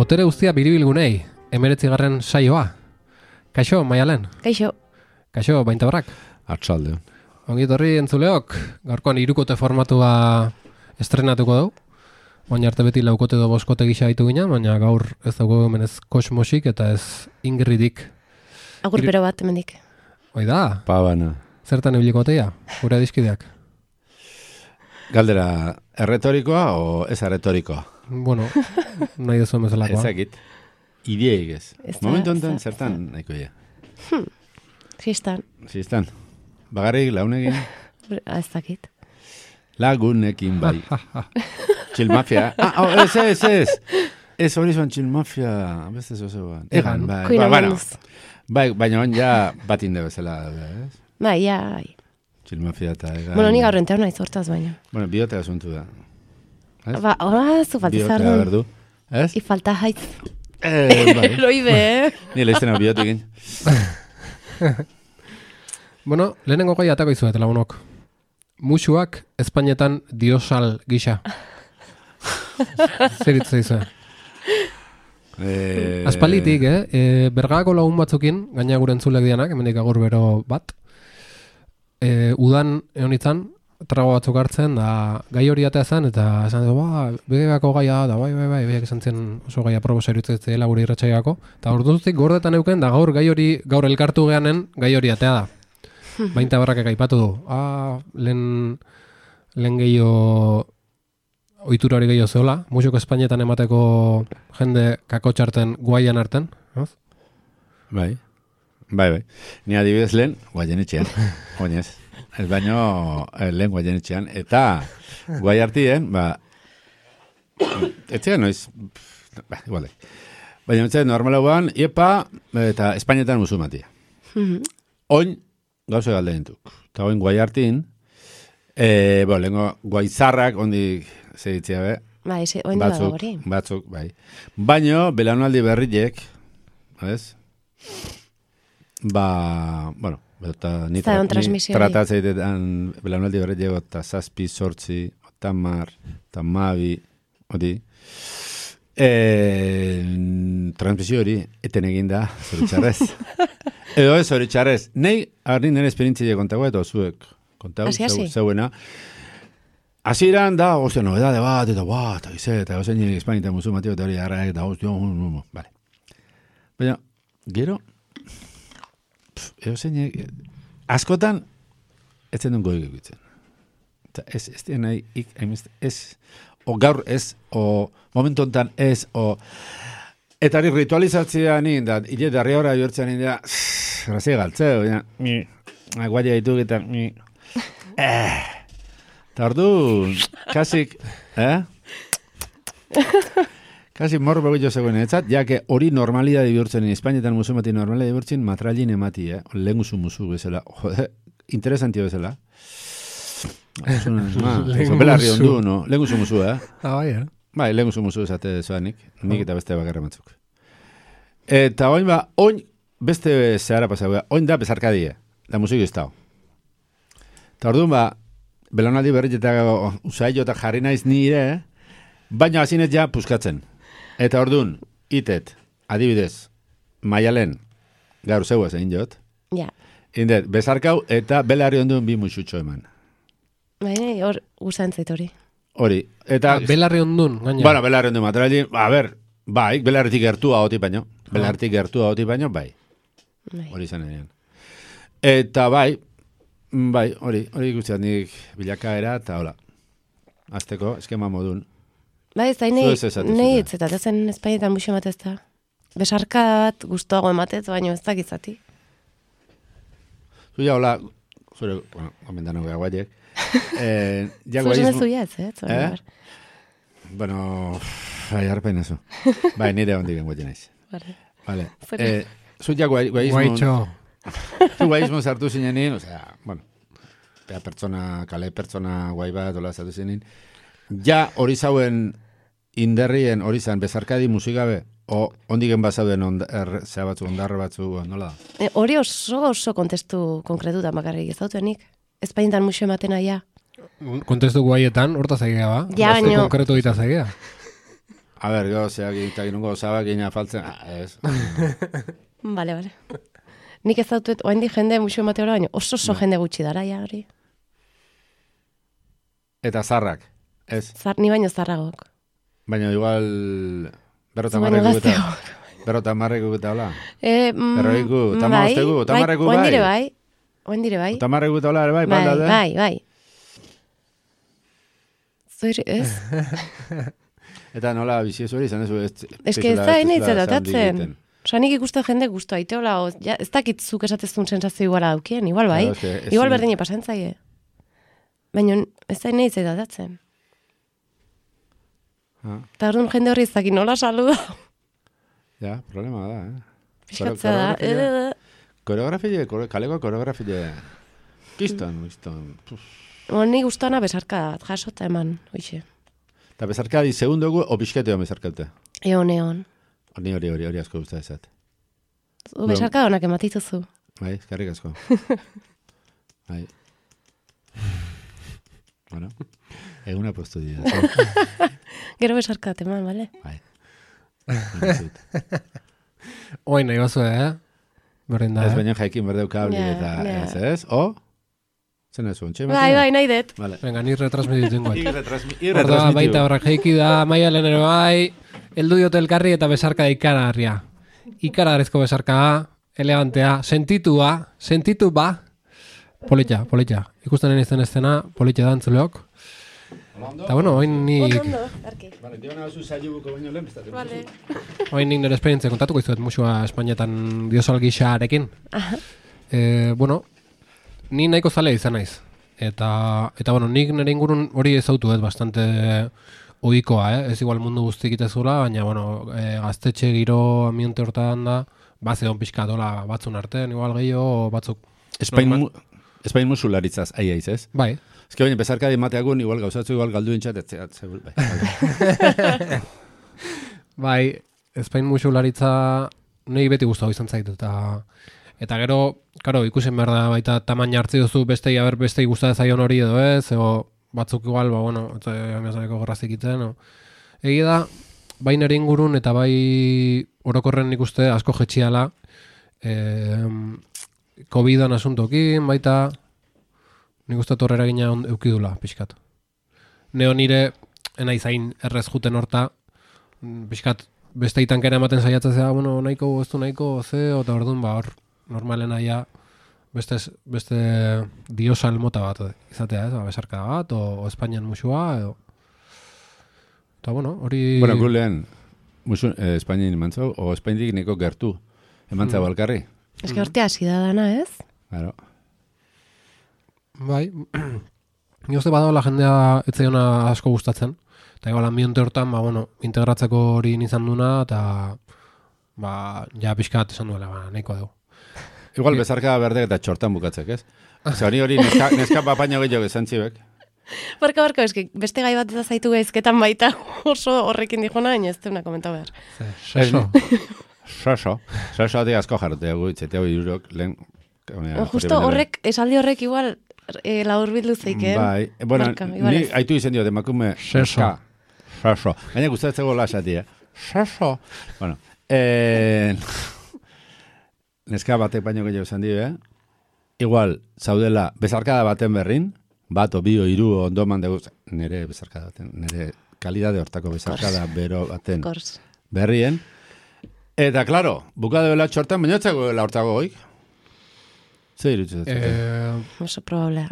Botere guztia biribilgunei, 19. saioa. Kaixo, Maialen. Kaixo. Kaixo, Baintabarrak. Artsalde. Ongi etorri entzuleok, gaurkoan 3 formatua estrenatuko dugu. Baina arte beti laukote edo boskote gisa ditu ginen, baina gaur ez dago hemen ez kosmosik eta ez Ingridik. Agur pero bat hemendik. Hoi da, Pabana. zertan ibilikotea, gure adiskideak. Galdera, erretorikoa o ez erretorikoa? Bueno, nahi dezu bezalakoa. Ezakit. Ideiek ez. Ez da, Momentu ez honetan da, zertan nahiko ja. Fistan. Zistan. Bagarrik launekin, Ez dakit. lagunekin bai. Txilmafia. Ez. Ez hori zuan txilmafia. Beste zozoan. Egan, bai. Kuina Bueno, manduz. bai, baina on ja bat inde bezala. Ez? Bai, ja, bai. Txilmafia eta egan. Bueno, ni gaur entean naiz hortaz baina. Bueno, biote asuntu da. Ez? Ba, hola, zu Biotea faltizarren. berdu. Ez? I falta haitz. Bai. Loide, Ni leizten hau biotekin. Bueno, lehenengo gai atako izuet, lagunok. Musuak Espainetan diosal gisa. Zer hitz izan. Aspalitik, bergako lagun batzukin, gaina gure entzulek dianak, hemendik agur bero bat, udan egon trago batzuk hartzen, da gai hori atea zen, eta esan du, begako gaia da, bai, beak esan zen oso gaia probosa irutzea gure irratxaiako, eta orduzik gordetan euken, da gaur gai hori, gaur elkartu geanen, gai hori atea da. Baintabarrakek aipatu du, lehen gehiago ohitura hori gehiago zeola, musiko Espainetan emateko jende kakotxarten guaian arten, ez? Bai. Ni adibidez lehen, guaien etxean. Oinez. Ez baino lehen guaien etxean. Eta guai artien, etxean noiz, igual. Baina etxean normala guan, iepa, eta Espainetan musumatia. Oin, gauze galde dintuk. Eta oin guai hartin, lehenko guaizarrak, ondik zeitzia be, Bai, oin dela da hori. batzuk, bai. Baino, belaunaldi berriek, ez? Eta ni Zaion transmisio hori. tratatzeitetan belaunaldi berriek eta 7, 8, 10, 12, hori. Transmisio hori eten egin da, zoritxarrez. Edo ez, zoritxarrez. Nei, arri nire esperientzia kontagoa eta zuek kontau, zeuena. Hasieran da, novedade bat, eta gize, eta gozen Espainetan musumatio, eta hori harrak, eta vale. Baina, gero, askotan, ez zen goik egitzen. Eta ez dien nahi, o gaur ez, o momentu honetan ez, eta hori ritualizatzea nien, da, hile darri horra jortzen nien, da, grazia galtzeo, guaia dituk, eta, eta ordu, kasik, kasik morro begitxo zegoen etzat, ja que hori normalidade bihurtzen, Espainetan musumati normalidade bihurtzen, matralin emati, lehenguzu musu bezala, interesantio bezala. Belarri ondu, no? Lehenguzu musu, Bai, Bai, lehenguzu musu esate zoanik, nik eta beste bakarra batzuk. Eta oin beste zehara pasau, oin da bezarkadie, da musik ez dao. Eta orduan belaunaldi berri eta usailo eta jarri naiz nire, baina hazinez ja puskatzen. Eta orduan, itet, adibidez, Maialen, gaur zeuaz egin jot, Ja. indet, bezarkau eta belarri onduen bi musutxo eman. Baina hor guzan zait hori. Hori, eta... Belarri ondun, gaina. Bueno, belarri onduen materiali, bai, belarritik gertua hoti baino, bai, hori izan edean. Eta bai, hori guztiak nik bilakaera, eta hola, azteko, eskema modun. Bai, ez da, Zu ez esatu nahi zuten. etzeta, zen Espainetan musu ematez da. Besarkat guztuago ematez, baina ez dakizati. Zuia, hola, zure, gomendan hau guaiek. Zuzen ez zuia ez, Bueno, harpen ezu. Bai, nire hondik guaien naiz. Vale. Zer? Zuia guaizmun... Guaitxo. Zu guaizmun sartu zinenin, kale pertsona guai bat, hola sartu zinenin. Ja, hori zauen inderrien hori zan bezarkadi musikabe, o ondigen bazauden zea batzu, ondarra batzu, nola da? Hori oso kontestu konkretutan bakarrik ez dautuenik. Espainetan musu ematen aia. Kontestu guaietan, horta zaigea ba? Ja, Beste baino- konkretu dita zaigea. A ber, gozeak eta ginungo zabak ina faltzen, ez. Bale. Nik ez dautuet, oaindik jende musio emateora, baina oso jende gutxi dara, ja, hori. Eta zarrak, ez. Ni baino zarragok. Baina igual... Zu baino gazteok. Berrotamarreko eta hola. Berroiku, tamabostegu, tamarreku bai. Oain dire bai. Tamarreku eta hola ere bai, Bai. Zuir, ez? Eta nola biziezu hori izan ez? Ez que ez da nahi zeratatzen. Osa, nik ikusten jende guztu aiteola, ez dakitzuk esatezun sensazio iguala daukien, igual bai. Igual berdine pasantzaie. Baina ez da nahi zeratatzen. Eta orduan jende horri izakin nola saluda. Ja, problema da, Piskatzea da. Koreografile, kaleko koreografile. Kiston. Nik guztana besarka bat, jasota eman, oixe. Eta besarka di segundogu, o bisketeo besarkaute? Eon. Hori asko guzta ezat. Besarka honak ematituzu. Bai, eskarrik asko. Bai. Bueno, eguna postu dira. Gero besarka teman, bale? Bai. Oin nahi bazu, Berdin da, Ez baina jaikin berdeu kabli eta ez? O? Zen ez zuen, Bai, nahi dut. Venga, ni retransmititzen guat. Retransmitiu. Baita horrak jaiki da, maia lehen ere bai, eldu diote elkarri eta besarka da ikaragarria. Ikaragarrizko besarka, elegantea, sentitu ba. Politxa. Ikusten izten estena, politxa da antzuleok. Eta bueno, oin nik... Vale, diona zu saiuko baino lehen bestatzen. Vale. Oin nik nire esperientzia kontatuko izuet musua Espainetan diosal gixarekin. Bueno, ni nahiko zalea izan naiz. Eta bueno, nik nire ingurun hori ezautu ez bastante ohikoa, Ez igual mundu guztik itezula, baina bueno, gaztetxe giro ambiente hortan da, zedon pixka dola batzun artean, igual gehiago batzuk. Espain musularitzaz, aiz, ez? Bai. Ez que baina bezarka dimateakun, igual gauzatzu, igual galdu intxat, Bai, Espain musularitza nahi beti guztau izan zaitu, eta gero, karo, ikusen behar da baita tamaina hartzi duzu bestei guztatzen zaion hori edo ez, edo batzuk igual, bueno, amiazaneko gorrazik itzen, Egi da, bai nire ingurun eta bai orokorren ikuste asko jetxiala, COVID-an asuntokin, baita, nik uste torrera gina eukidula, pixkat. Neo nire, enai zain errez juten horta, pixkat, beste itankera ematen saiatzea, bueno, nahiko, ez du nahiko, eta orduan, hor, normalen aia, beste diosal mota bat izatea, ez, besarka bat, o Espainian musua, edo. Eta, bueno, hori... Bueno, gulean, Espainian emantzau, o Espainiak neko gertu, emantzau alkarri. Ez que horte hasi da dana, ez? Claro. Bai, ni uste badagoela jendea etzaiona asko gustatzen. Eta igual ambiente hortan, bueno, integratzeko hori izan duna, eta ja pixkat esan duela, nahiko dugu. Igual bezarka berdek eta txortan bukatzek, ez? Hori neska papaino gehiago esan txibek. Barka, eski, beste gai bat ez zaitu gaizketan baita oso horrekin dijona, baina ez teuna komentau behar. Soso de asko jarrote gutxetea irurok lehen. Justo horrek, esaldi horrek igual laur bildu zeiken. Bai, bueno, ni haitu izen dio, demakume Soso. Baina gustatzeko lasati, Soso. Bueno, neska batek baino gehiago esan dio, Igual, zaudela, bezarkada baten berrin, bat o bi o hiru ondoman dugu, nire bezarkada baten, nire kalidade hortako bezarkada bero baten berrien. Eta, klaro, bukadeuela txortan, bainotzeko hortako goik. Zer irutzatzen? Oso probable.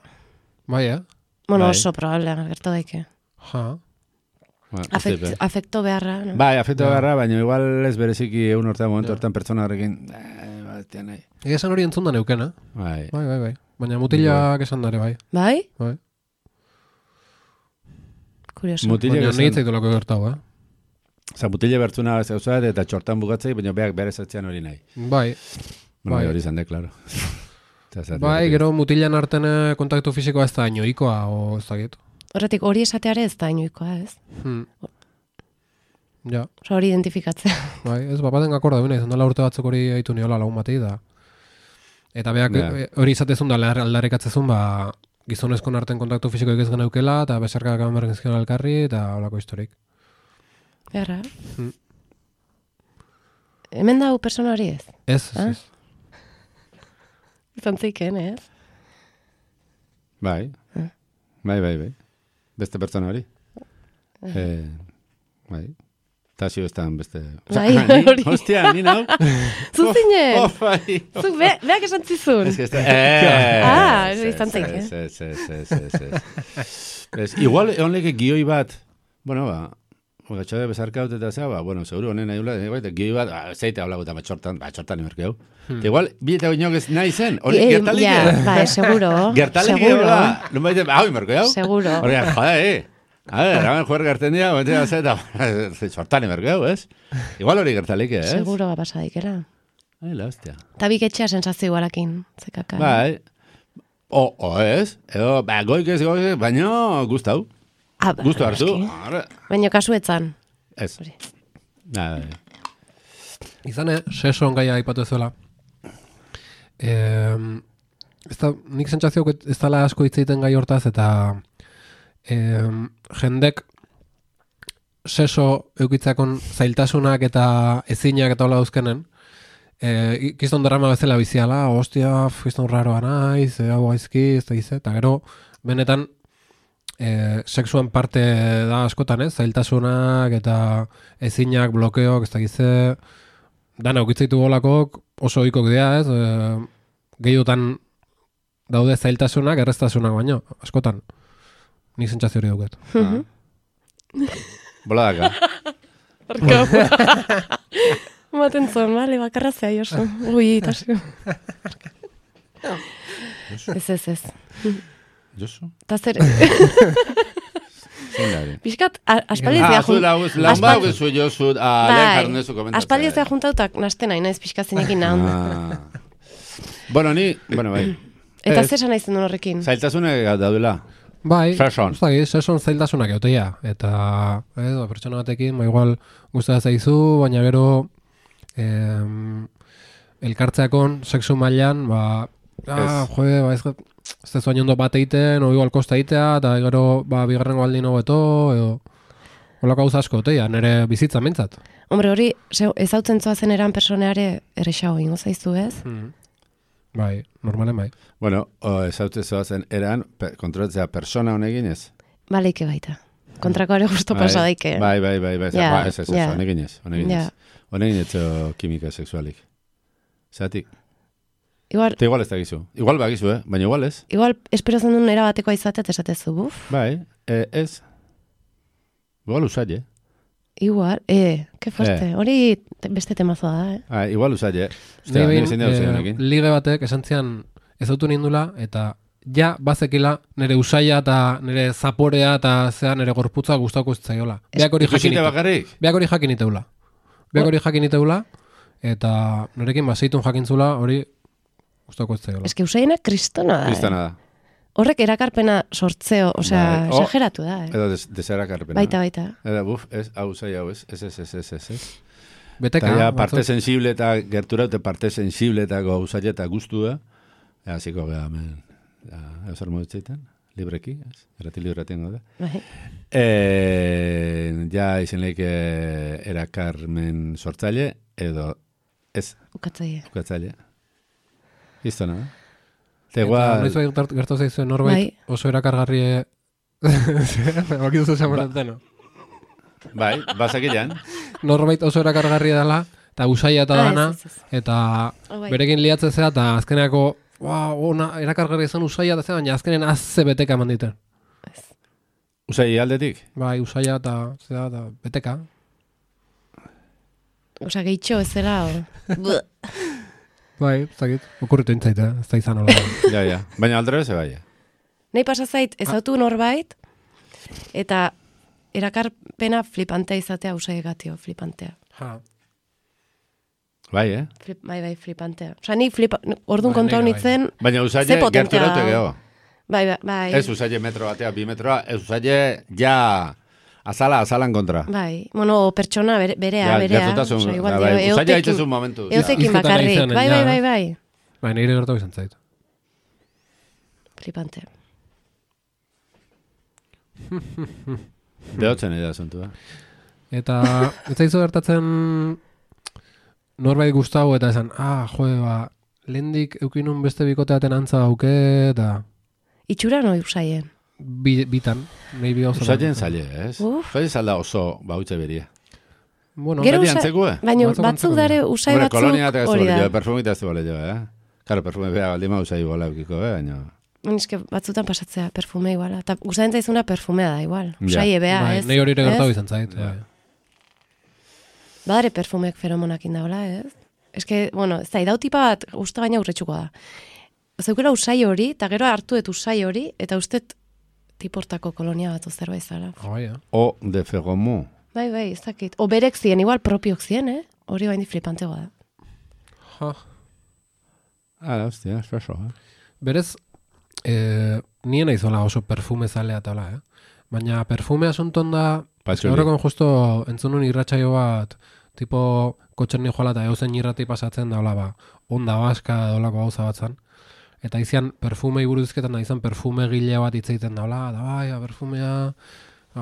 Bai, Bueno, oso probable, gertu daike. Ja. Afekto beharra, no? Bai, afekto beharra, baina igual ez bereziki egun hortan, momentu hortan pertsona horrekin, nahi. Esan hori entzun da neukena. Bai. Baina mutilak esan dare, bai. Bai? Kurioso. Baina nahi zaitolako gertau, Osa, mutile bertzuna zeuzat eta txortan bukatzei, baina beak bere zertzean hori nahi. Bai. Hori izan de, klaro. Bai, gero mutilan arten kontaktu fisikoa ez da inoikoa, o ez da gitu. Horretik, hori esateare ez da inoikoa, ez? Ja. Osa, hori identifikatzea. Bai, ez, baten akorda bine, izan dela urte batzuk hori haitu niola lagun batei da. Eta beak hori izatezun da aldarrikatzezun, gizonezkon arten kontaktu fisikoik ez geneukela, eta besarkak amergenzkion alkarri, eta holako historik. Erra. Hemen dago persona hori ez? Ez. Izan zeiken, ez? Bai. Beste pertsona hori. Bai. Tasio estan beste... Bai, hori. Hostia, ni nau. Zuzinen. Bai. Zuk, beak esan zizun. Izan zeiken. Igual, egon leke gioi bat, bueno, gatxade bezarkaut eta zea, seguro honen nahi ula, gioi bat, zeite hau laguta, txortan imerkeu. Igual, bieta oinok ez nahi zen, hori gertalik. Bai, seguro. Gertalik egola, non baite, hau imerkeu. Seguro. Hori, joder, a ver, hamen juer gerten dira, txortan imerkeu, ez? Igual hori gertalik, ez? Seguro pasadikera. Ai, la hostia. Tabik etxea sensazio igualakin, zekaka. Bai, ez, edo, goik ez, baina gustau. Gustu hartu. Baina kasuetzan. Ez. Izan, seson gaia aipatu ezuela. Nik sentsazio ez dala asko hitz egiten gai hortaz, eta jendek seso eukitzakon zailtasunak eta ezinak eta hola dauzkenen, kiston drama bezala biziala, hostia, kiston raroa naiz, hau gaizki, ez da gize, eta gero, benetan, sexuan parte da askotan, zailtasunak eta ezinak, blokeok, ez da gize, dana eukitzaitu golakok oso oikok dira, gehiotan daude zailtasunak, erreztasunak baino, askotan. Nik sentsazio hori duket. Boladaka. Maten zon, bale, bakarra zea, Josu. Ui, tasio. Ez. Josu? Ta zer... Piskat, aspaldiazia aspaldiazia juntautak nasten nahi, naiz piskatzenekin nahan. Bai. Eta zer esan nahizen duen horrekin? Zailtasunak daudela. Bai, seson zailtasunak euteia. Eta, pertsona batekin, igual guztia zaizu, baina gero elkartzeakon, sexu mailan, ez da zuain ondo bat egiten, o igual kosta egitea, eta gero bigarrengo aldin hobeto, edo holako gauza asko euteia, nire bizitza mintzat. Hombre, hori, ezautzen zoazen eran personeare errexago ingo zaizu, ez? Bai, normalen bai. Bueno, ezautzen zoazen eran, kontrolatzea persona honegin ez? Baleike baita. Kontrako ere justo pasa daike. Bai. Ez, honegin ez. Honegin ez kimika sexualik. Zatik? Igual ez da gizu. Igual bagizu, baina igual ez. Igual espero zen duen erabatekoa izatea esatezu, buf. Bai, ez. Igual usai, Igual, que fuerte. Hori beste temazoa da, Igual usai, Lige batek esan zian ez autu nindula, eta ja bazekila nire usaia eta nire zaporea eta zea nire gorputza gustauko ez zaiola. Beak hori jakin iteula, eta nirekin baseitun jakintzula hori gustauko ez zaiola. Ez que usaina kristona da. Kristona da. Horrek erakarpena sortzeo, exageratu da. Edo deserakarpena. Baita. Edo, hau zai hau, ez. Beteka. Eta parte sensible eta gerturaute parte sensible eta gauzaile eta guztu da. Hasiko gara, eusar moditzeiten, libreki, errati libretin gaude. Ja izen leike erakarmen sortzaile, edo ez. Ukatzaile. Iztona, Noiz gertu zaizu norbait oso erakargarri bakizu zesan Bai, bazakilean. Norbait oso erakargarri dela, eta usaia eta dana, eta berekin liatzen zera, eta azkeneako erakargarri izan usaia eta zera, baina azkenen azze beteka eman diten. Usai aldetik? Bai, usaia eta beteka. Osa, gehitxo ez zera, Bai, zakit, okurritu intzaita, ez da izan hola. Ja, baina aldera ze bai. Nahi pasazait, ez autu norbait, eta erakarpena flipantea izatea usaigatio, flipantea. Bai, Bai, flipantea. Osa, ni orduan kontua honitzen, baina usaile gerturaute geho. Bai. Ez usaile metro batea, 2 metroa, ez usaile ja... Azalan kontra. Bai, pertsona berea. Gertutasun, usaila haitzezun momentu. Eutekin bakarrik, bai. Bai, nire gertu izan zaitu. Flipante. Behotzen edera zontu, Eta ez zaizu gertatzen norbait gustau eta esan, lehendik eukinun beste bikoteaten antza dauke, eta... Itxura noi usaien? Bitan, nahi bi gauza. Usaien zaile, ez? Usaien zalda oso bautze beria. Bueno, beti antzekue? Baina batzuk dare usai batzuk hori da. Perfumita ez du bale jo, Claro, perfume bea baldima usai iguala eukiko, baina... Eske batzutan pasatzea perfume iguala. Eta gustatzen zaizuna perfumea da igual. Usai ebea, ez? Nei hori ere gertatu izan zait. Badare perfumeek feromonakin daula, ez? Eske, bueno, ez da, idauti bat uste gaina urretxuko da. Zeukela usai hori, eta gero hartu dut usai hori, eta ustet tiportako kolonia bat zerbait zara. O de feromon. Bai, ez dakit. O berek zien, igual propiok zien, hori bain di flipantego da. Hostia, espresso, Berez, nien aizola oso perfume zalea tala, Baina perfume asunton da, horrekon justo entzunun irratsaio bat, tipo kotxerni joala eta eusen irrati pasatzen da, onda baska dolako gauza bat zan. Eta izian perfume iburuzketan da izan perfume gile bat itzeiten da, perfumea,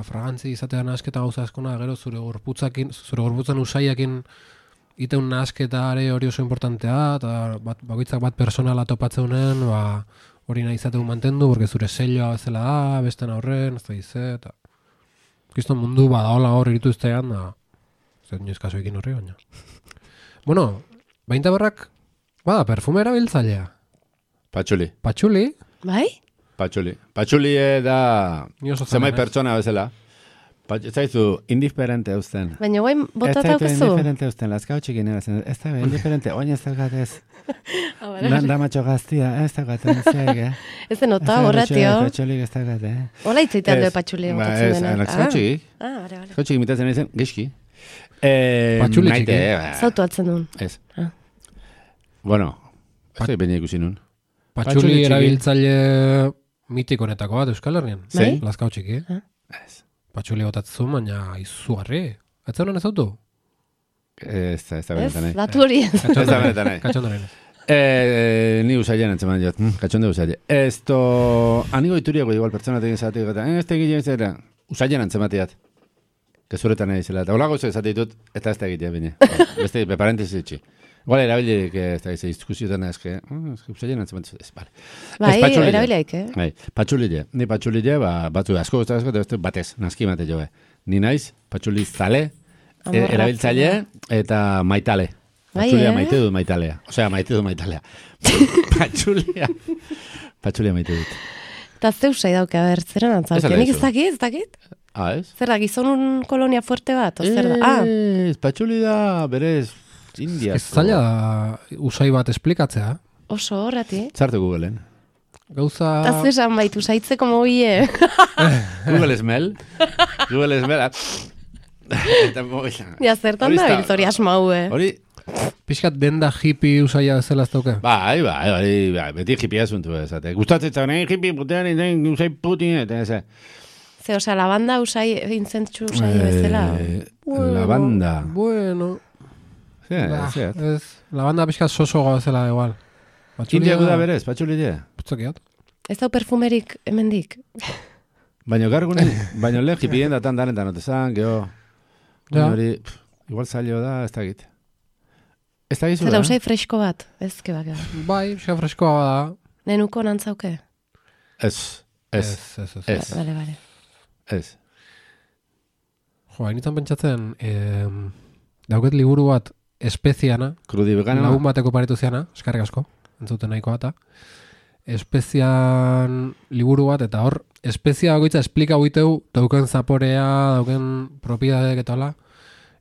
fragantzi izatean asketa gauza askona, gero zure gorputzan usaiakin iteun nasketa hori oso importantea, eta bakoitzak bat personala topatzeunen, hori nahi izateu mantendu, porque zure selloa bezala da, besten aurren, ez da ize, eta... Kiston mundu badaola hor iritu iztean, zer nioz kaso ekin horri, baina. Bueno, bainta barrak, perfume erabiltzailea. Patxuli. Bai? Patxuli. Patxuli da... Zemai pertsona bezala. Ez zaizu, indiferente eusten. Baina guain botata aukezu? Ez zaitu indiferente eusten, lazkau txikin erazen. Ez da, indiferente, oin ez dagatez. Damatxo gaztia, ez dagaten zeik, Ez da nota, horratio. Patxulik ez dagate, Hola itzeitean du patxuli botatzen dena. Lazkau txikik. Lazkau txikik mitatzen ezen, gizki. Patxuli txiki. Zautu atzen duen. Ez. Bueno, ez da bine ikusi nun. Patxuli erabiltzaile mitikonetako bat Euskal Herrian. Bai? Lazkau txiki. Ez. Patxuli botatzen, baina izugarri. Ez honen ez autu? Ez da benetan nahi. Ez, datu hori ez. Ez da benetan nahi. Katxondo nahi. Ni usaien antzeman jat. Katxondo usaien. Esto... Anigo ituriako igual pertsonatek izatik gata. Ez da egiten zera. Usaien antzematiat. Kezuretan nahi zela. Eta holago ez ditut, eta ez da egitea bine. Beste, beparentesi itxi. Igual erabilik, ez da izan, diskusioetan ezke, usaien antzematiat. Ez, bale. Bai, erabiliak, Bai, patxulile. Ni patxulile, batzu asko guztazko, eta beste batez, naski mate joe. Ni naiz, patxuli zale, erabiltzaile eta maitale. Patxulia maite dut maitalea. Osea, maite dut maitalea. Patxulia maite dut. Eta zeu usai dauke, zer antzauke? Nik ez dakit? Ez? Zer da, gizonun kolonia fuerte bat? Zer da? Patxuli da, berez, India. Ez zaila usai bat esplikatzea. Oso horrati. Zartu Googleen. Gauza... Eta zesan baitu, saitzeko moie. Google Smell. Google Smell. Ja, zertan da biltzori asmaue. Hori... Piskat denda hippie usaia zela ez dauke? Bai, beti hippia zuntu ezate. Gustatzen zagoen, hippie putean, usai putin, eta ez. Ze, osea, lavanda usai, intzentsu usai bezala. Lavanda. Bueno... Ez. Lavanda pixkat soso gazela igual. India guda berez, patxulile. Putzakiat. Ez dau perfumerik hemendik. Baina gargunen, baina lehen hipien datan danetan otezan, geho. Hori, igual zailo da, ez da git. Ez da gizu da? Zera usai fresko bat, ez kebak da. Bai, pixka freskoa da. Nenuko nantzauke? Ez. Bale. Ez. Jo, hainitzen pentsatzen, dauket liburu bat espeziana, Krudi vegana. lagun bateko paritu ziana, eskarrik asko, entzuten nahiko bata. Espezian liburu bat, eta hor, espezia bakoitza esplika huiteu, dauken zaporea, dauken propiedadek eta hola.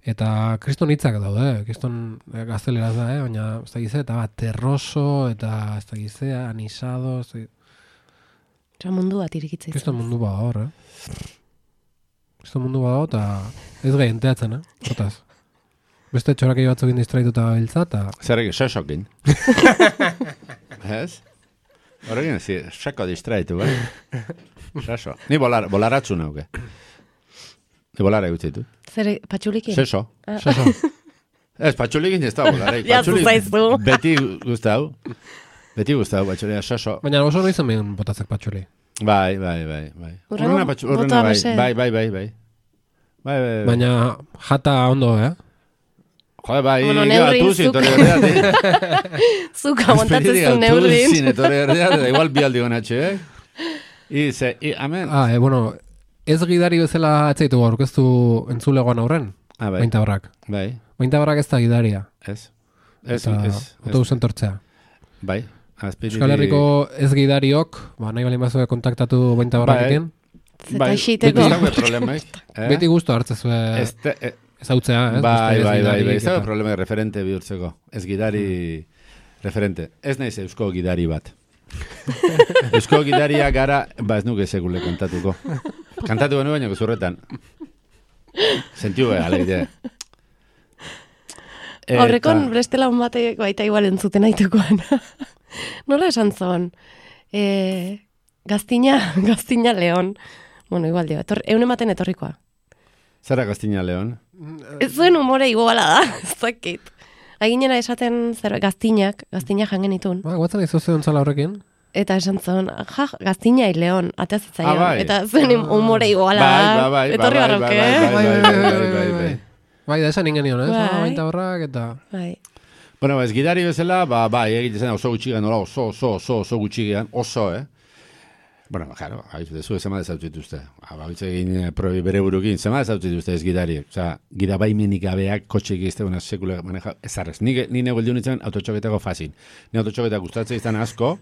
Eta kriston hitzak daude, kriston gazteleraz da, baina ez da gize, eta terroso, eta ez da gize, anisado, ez da gize. Eta mundu bat irikitzen. Kriston mundu bat hor, Kriston mundu bat hor, eta ez gai enteatzen, Hortaz. Beste txorakei batzukin distraituta biltza, eta... Zerrek, sesokin. Ez? Horrekin, seko distraitu, Seso. Ni bolaratzu nauke. Ni bolara egutzitu. Zer, patxulikin? Seso. Ez, patxulikin ez da bolarek. Zaizu. Beti guztau, patxulia, seso. Baina oso noizen behin botatzek patxuli. Bai. Urrena bota bese. Bai. Baina jata ondo, Joder, bai, neurrin zuk amontatzen zuen neurrin. Igual bi aldi gonatxe, amen. Bueno, ez gidari bezala atzeitu aurkeztu entzulegoan aurren, Baintabarrak. Bai. Baintabarrak ez da gidaria. Ez. Autobusen tortzea. Bai. Euskal Herriko ez gidariok, nahi balin bazue kontaktatu Baintabarrakekin. Beti guztu hartzezue ezautzea, ez? Bai, ez da problema referente bihurtzeko. Ez gidari referente. Ez naiz eusko gidari bat. Eusko gidaria gara, ez nuke segule kantatuko. Kantatu benu baino zurretan. Sentiu alegia. Horrekon bestela un batek baita igual entzuten aitukoan. Nola esan zon? Gaztina Leon. Bueno, igual dio. Eune maten etorrikoa. Zara Gaztina Leon? Ez zuen humore iguala da. Zakit. Aginera esaten gaztinak jangen itun. Guatzen izoze ontzala horrekin? Eta esan zuen, Gaztina Leon, ateazitzaion. Eta zuen humore iguala da. Bai. Etorri barroke. Bai, da esan ingenion, ez? Baintabarrak eta... Bueno, ez gidari bezala, egiten oso gutxigan, oso gutxigan, Bueno, claro, zu zema dezautituzte. Baitze egin probi bere burukin, zema dezautituzte ez gidariek. Osa, gidabaimenik gabeak kotxeik izteguna sekula maneja, ezarrez. Ni nego eldiun itzen autotxoketako fazin. Ni autotxoketak gustatzen izan asko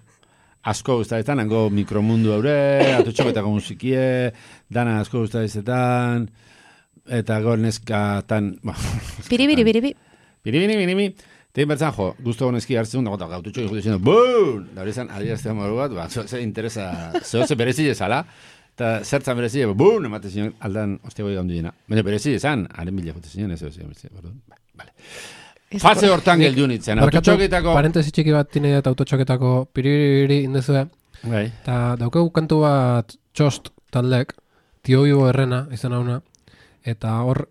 gustatzen, hango mikromundu haure, autotxoketako musikie, dana asko gustatzen, eta gor neskatan... Piribiri. Tein bertzan, guztu honeski hartzen dut, gaututxo egin dizendo, buun! Da hori zan, adieraztean moru bat, ze interesa, ze berezi ezala, eta zertzan berezi, buun! Emate zinon, aldan, ostego egon duena. Baina berezi ezan, haren bila jote zinon, ez berezi, vale. Fase hortan geldiun itzen, autotxoketako... Parentesi txiki bat tinei eta autotxoketako piribiri indezue, eta daukegu kantu bat txost taldek, Tio Ibo Herrena, izan hauna, eta hor,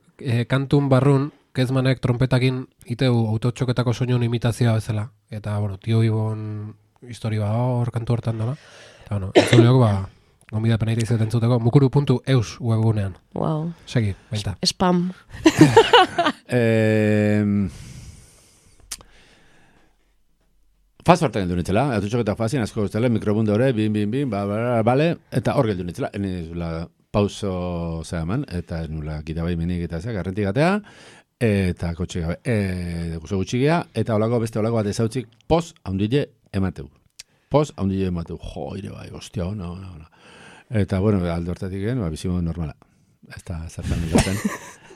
kantun barrun, Kezmanek trompetakin iteu autotxoketako soinun imitazioa bezala. Eta, bueno, Tio Ibon historia hor kantu hortan dela. Eta, bueno, entzuleok, gombida peneira izaten zuteko, mukuru.eus webgunean. Wow. Segi, baita. Spam. Faz hortan geldu nitzela, autotxoketak fazien, asko guztela, mikrobunde hori, bin, bale, eta hor geldu nitzela, nizula pauso zehaman, eta nula gitabai menik eta zeak, garrentik gatea, eta kotxe gabe, guzo gutxigea, eta beste holako bat ezautzik, pos haundile emateu. Jo, ire bai, ostia, ona. Eta, bueno, aldo hortatik gen, bizimo normala. Ez da, zertan duten.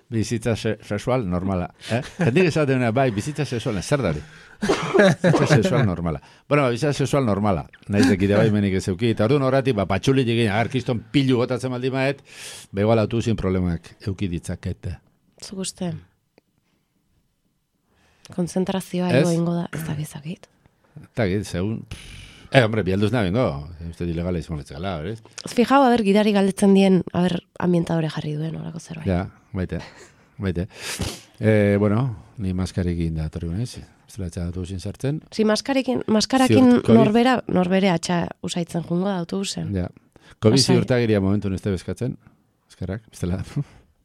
Bizitza sexual normala. Jendik esaten bai, bizitza sexual, zer dari? Bizitza sexual normala. Bueno, bizitza sexual normala. Naiz dekide bai menik ez euki. Eta orduan horretik, patxulit egin, agarkiston pilu gotatzen baldi maet, begoal autobusien problemak euki ditzakete. Zuk uste? Konzentrazioa ego ingo da, ez da bizakit. Eta git, segun... hombre, bialduz nahi bengo. Usted ilegala izan letzakala, ¿ves? Fijau, gidari galdetzen dien, ambientadore jarri duen, horako zerbait. Ja, baite. Bueno, ni maskarekin da torri gunez. Zela autobusin sartzen. Si, maskarakin norbere atxa usaitzen jungo da autobusen. Ja. COVID ziurtagiria momentu neste bezkatzen. Eskerrak, bestela,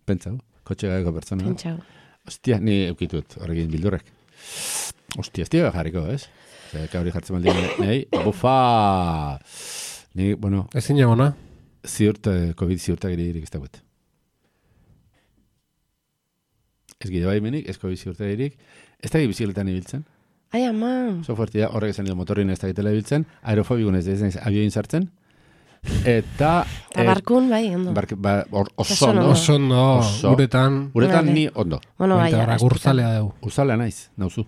pentsau. Kotxe gaieko pertsona. Pentsau. Ostia, ni eukitut horrekin bildurrek. Ostia, jarriko, ez? Kabri jartzen baldin nahi. Bufa! Ni, bueno... Ezin egona? COVID ziurtagiri irik ez dagoet. Ez gide bai menik, ez COVID ziurtagirik. Ez da bizikletan ibiltzen. Ai, ama! So fuertia, horrek esan motorin ez da gitela ibiltzen. Aerofobikun ez da abioin sartzen. Eta barkun, bai, ondo. Oso ondo. Uretan ni ondo. Bueno, bai, gurzalea dugu. Gurzalea naiz, nauzu.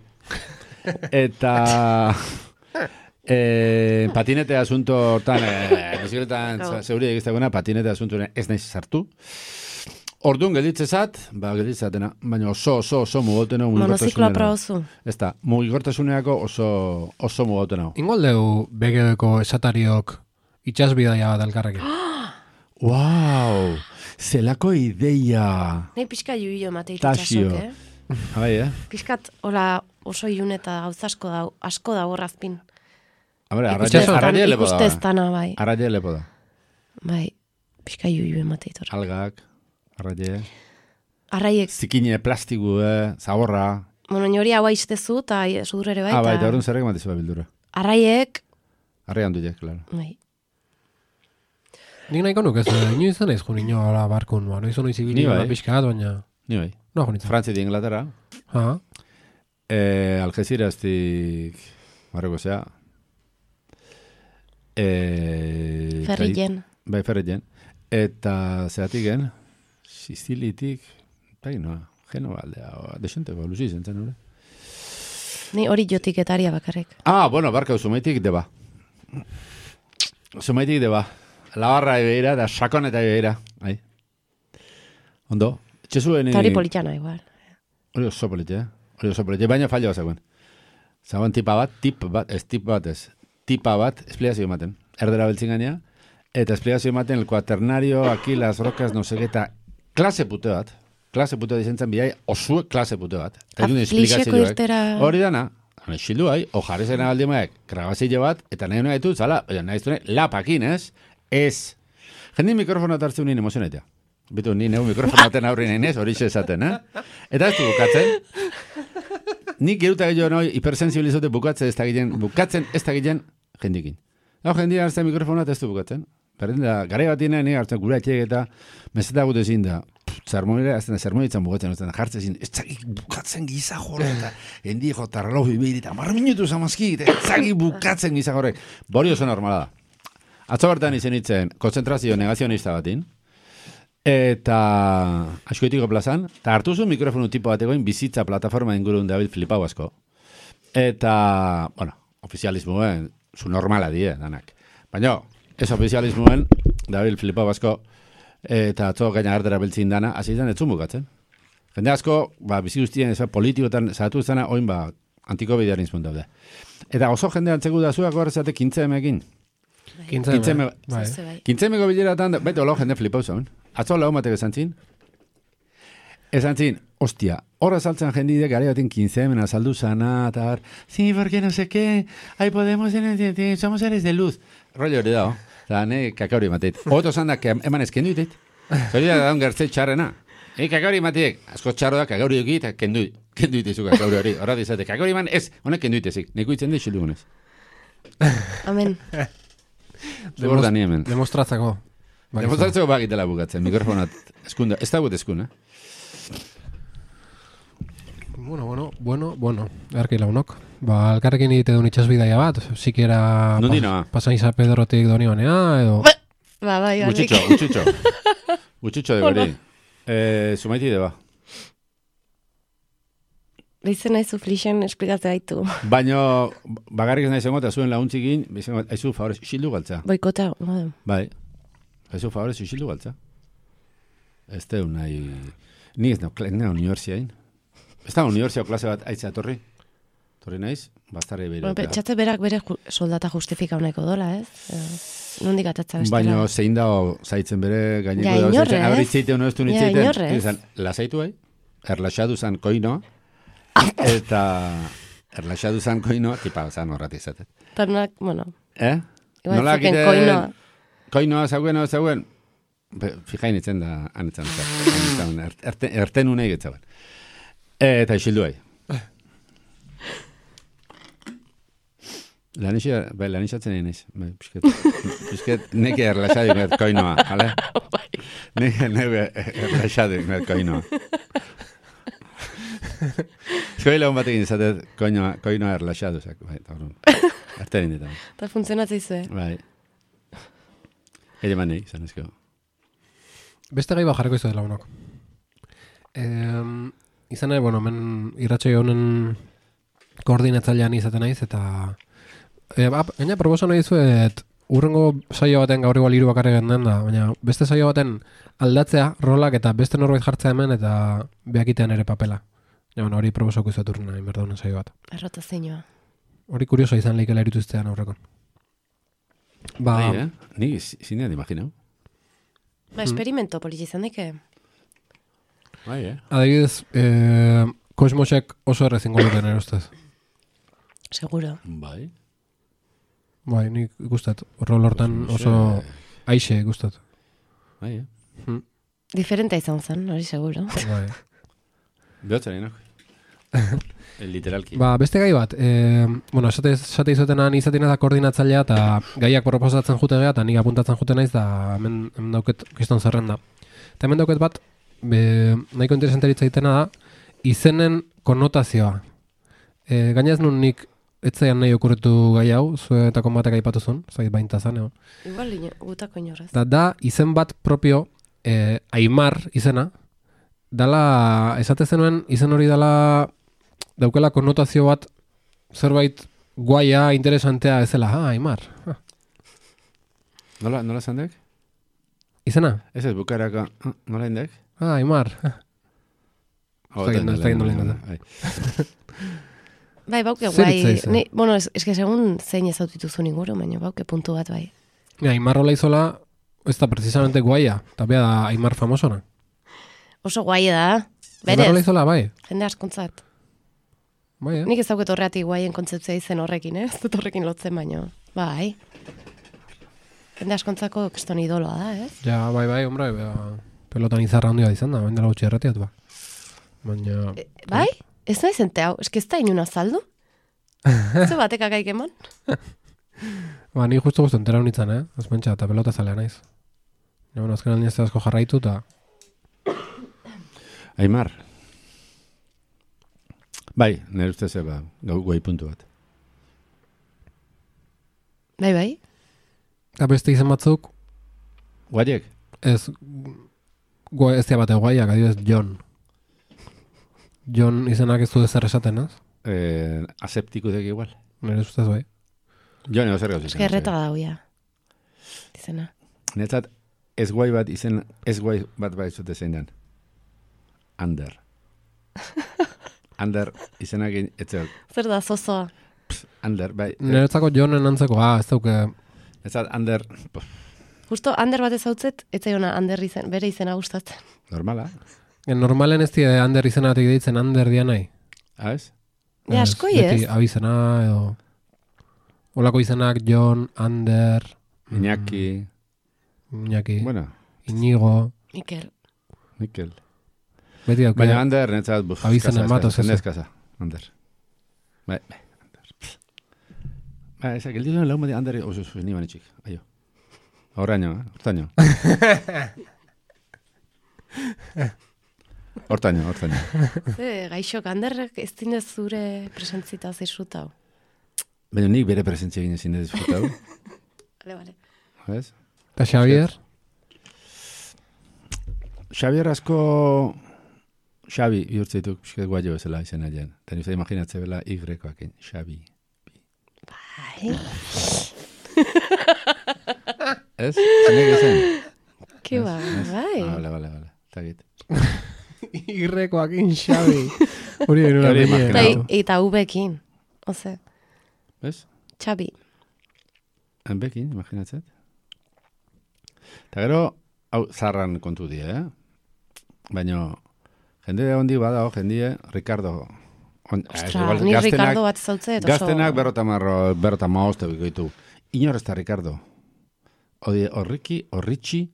Eta patinete asunto hortan, bizikletan zeuri egiztaguna, patinete asunto ez naiz sartu. Orduan gelditzezat, gelditzatena, baina oso mugotena. Monozikloa probozu. Ez da, mugigortasuneako oso mugotena. Ingol dugu begedeko esatariok itxasbidaia bat alkarrekin. Wow! Zelako ideia! Nei pixka juio emate itxasok, Bai, Piskat, oso iun eta gauz asko da horrazpin. Arraie lepo da. Ikusteztana, bai. Arraie lepo da. Bai, pixka juio emate itor. Algak, arraie. Arraiek. Zikine, plastiku, zaborra. Bueno, hori hau aiztezu, eta sudur ere bai. Bai, eta horren zerrek matizu bildura. Arraiek. Arrai handuiek, klaro. Bai. Nik nahiko nuk ez, inoiz izan ez jo nino ala barkun, ba, noiz ono izibili pixkat, baina... Ni bai. No, jo nintzen. Frantzia di Inglaterra. Algeciras-tik, Marroko zea. Ferrien. Bai, Ferrien. Eta zeatiken, Sizilitik, bai, no, Genova aldea, desenteko, luzi zentzen, hori? Ni hori jotik etaria bakarrik. Bueno, barkau, zumaitik deba. Zumaitik deba. Labarra ebeira, da sakon eta ebeira. Ondo? Txezuen... Eta hori politxana, igual. Hori oso politxe, baina fallo bazagoen. Zagoen tipa bat, esplikazio ematen. Erdera beltzin gainea, eta esplikazio ematen el cuaternario, aquí las rocas, no sé, eta klase pute bat izentzen bidai, osue klase pute bat. Aflixeko irtera... Hori dana, xildu bai, ojarrezen abaldi maek, grabazio bat, eta nahi hona ditu, zala, nahi zune, lapakin, ez. Jendin mikrofona tartzen nien emozionaitea. Bitu, ni neu mikrofonaten aurri nahi nez, hori esaten, Eta ez du bukatzen. Nik geruta gehiago noi, hipersensibilizote bukatzen ez da ginen jendikin. Jendia hartzen mikrofonat ez du bukatzen. Berrenda, gare bat ina, ni hartzen gura etxek eta meseta gute zin da, zermoitzen bukatzen, jartzen zin, ez zagik bukatzen giza jorre, eta hendi jota reloju ibili, eta marra minutu zamazki, eta ez zagik bukatzen giza jorre. Bori oso normala da. Atzo bertan izen itzen, konzentrazio negazionista batin, eta askoitiko plazan, eta hartu zuen mikrofonu tipo bategoin bizitza plataforma ingurun David Filipau asko. Eta, bueno, ofizialismoen, zu normala die, danak. Baina, ez ofizialismoen, David Filipau asko, eta atzo gaina ardera beltzin dana, hasi izan etzun bukatzen. Jende asko, bizi guztien, politikotan zatu zena, oin antiko bidearen izpun daude. Eta oso jende antzegu da zuak horrezate kintzemekin. Kintzemeko bileratan, baita hola jende flipau zaun. Atzo lau matek esan zin. Esan zin, ostia, horra saltzen jendidek gare baten kintzemen azaldu zana, eta sí, porque no sé qué, ahí podemos, somos seres de luz. Rollo hori dago, eta kakauri mateit. Oto zan da, eman ezkendu itet. Zori da daun gertze txarrena. Kakauri mateit, asko txarro da, kakauri duki, eta kendu itezu kakauri hori. Horra dizate, kakauri man ez, honek kendu itezik. Neko itzen da xildugunez. Amen. Zugor da ni hemen. Demostratzeko. Demostratzeko bagitela bukatzen, mikrofonat eskunda, ez dagoet eskuna. Bueno, erki launok. Alkarrekin egite duen itxasbidaia bat, sikera pasan Isa Pedrotik doni banea, edo... Bai, Gutxutxo de gori. Zumaiti de ba. Beizen nahi zu flixen esplikatzea haitu. Baina, bagarrik ez nahi zengo, eta zuen launtzikin, haizu favorez, xildu galtza. Boikota, bai. Haizu favorez, xildu galtza. Ez teu nahi... Ni ez nahi universiain. Ez da universiao klase bat aitzea torri. Torri naiz, bastarri behira. Txatze berak bere soldata justifika honeko dola, ez? Nondik atatza bestela. Baina zein dago zaitzen bere gaineko dago zaitzen. Aurritzeite hono ez du nitzeiten. Lasaitu bai, erlaxadu zan koinoa. Eta erlaxadu zan koinoa, tipa zan horrat izatet. Tarnak, bueno. Nola egiten koinoa zauen, fijain itzen da anetzan. Erten unei getzauen. Eta isildu hai. Lanixatzen egin ez. Pisket neke erlaxadik met koinoa, jale? Neke erlaxadik met koinoa. Zoi lagun batekin izatet koinoa erlaxaduzak. Artean inditan. Eta funtzionatzei zuen. Bai. Ere manei, izan ezko. Beste gai bajareko izan lagunok. Izan nahi, men irratxoi honen koordinatzailean izaten naiz, eta gaina proposa nahi zuet urrengo saio baten gaur igual 3 bakarrik den da, baina beste saio baten aldatzea rolak eta beste norbait jartzea hemen eta beakitean ere papela. Hori proposako izuet urrena inberda saio bat. Errota zeinua. Hori kurioso izan leikela erituztean aurrekon. Ni zinean imaginau. Experimento politi izan dike. Adibidez, Kosmosek oso errezingo duten erostez. Seguro. Bai, nik gustat. Rol hortan oso aixe gustat. Diferentea izan zen, hori seguro. Bai. Behotzen, inok? Literalki. Beste gai bat, bueno, esate izotenan izatina da koordinatzailea eta gaiak proposatzen jute gea eta nik apuntatzen jute naiz da hemen dauket kiston zerrenda. Eta hemen dauket bat, nahiko interesanteritza itena da, izenen konnotazioa. Gainaz nun nik etzaian nahi okurritu gai hau, zuetako batek aipatuzun, zait bainta zan, egon. Igual gutako inorrez. Da izen bat propio, Aimar izena, dala, esate zenuen, izen hori dala daukela konnotazio bat zerbait guaia, interesantea ezela, Aimar. Nola zandek? Izena? Ez ez bukaraka, nola indek? Aimar. Ez da nola Bai, bauke guai. Bueno, es que segun zein ezautituzun inguru, baina bauke puntu bat bai. Aimar rola izola, ez da precisamente guaia, eta bea da Aimar famosona. Oso guaia da, berez. Aimar rola izola, bai. Jende askuntzat. Bai, Nik ez dauket horreatik guaien kontzeptzia izen horrekin, ez dut horrekin lotzen baino. Bai. Jende askontzako kriston idoloa da, ez? Ja, bai, hombre, pelotan izarra handia izan da, baina dela gutxi erratiat, ba. Baina... Bai? Ez nahi zente hau, eski ez da inuna saldu? Zu batek akaik eman? Ba, ni justu entera honitzen, ez pentsa, eta pelota zalea naiz. Ja, bueno, azken aldin ez asko jarraitu, eta... Aimar. Bai, nire ustez eba, guai puntu bat. Bai. Eta beste izen batzuk... Guaiek? Ez dia bate guaiak, adibidez Jon. Jon izenak ez du ezer esaten, ez? Aseptiku dek igual. Nire ustez bai. Jon ego zer gauz izan. Eskerreta da huia. Izena. Netzat, ez guai bat bai zute zein den. Ander. Ander izenak etzel. Zer da, zozoa? Ander, bai. Niretzako Jonen antzeko, ez dauke... Netzat, Ander... Justo, Ander bat ez hautzet, etzaiona Ander izen, bere izena gustatzen. Normala. Normalen ez die Ander izenatik deitzen Ander dian nahi. Ez? Ja, askoi ez? Beti abizena, edo... Olako izenak Jon, Ander... Iñaki... Bueno. Inigo... Mikel. Beti dauke... Baina Ander, netzat... Abizena matoz ez. Neskasa, Ander. Bai, Ander. Bai, ezak, el dilo lau modi Ander... Ni banitxik, aio. Hortaño. Hortaño. Gaixok, Anderrek ez dinez zure presentzita zizutau. Baina nik bere presentzia egin ezin disfrutau. Vale. ¿Ves? Eta Xavier? Xavier asko... Xavi, bihurtzeituk, pixket guaio ezela izena jen. Eta nizte imaginatze bela Y-koakin. Xavi. Bai. Ez? Zenek ezen? Kiba, bai. Vale. Tagit. Y-koakin Xavi. Hori denura Eta V-kin. Oze. Ez? Xavi. Enbekin, imaginatzet. Eta gero, hau zarran kontu die, Baina, jende hondi badao, jendie, Ricardo. Ostra, ni Ricardo bat zautzet. Gaztenak berrota maoste bikoitu. Inor ez da Ricardo. Horritxi,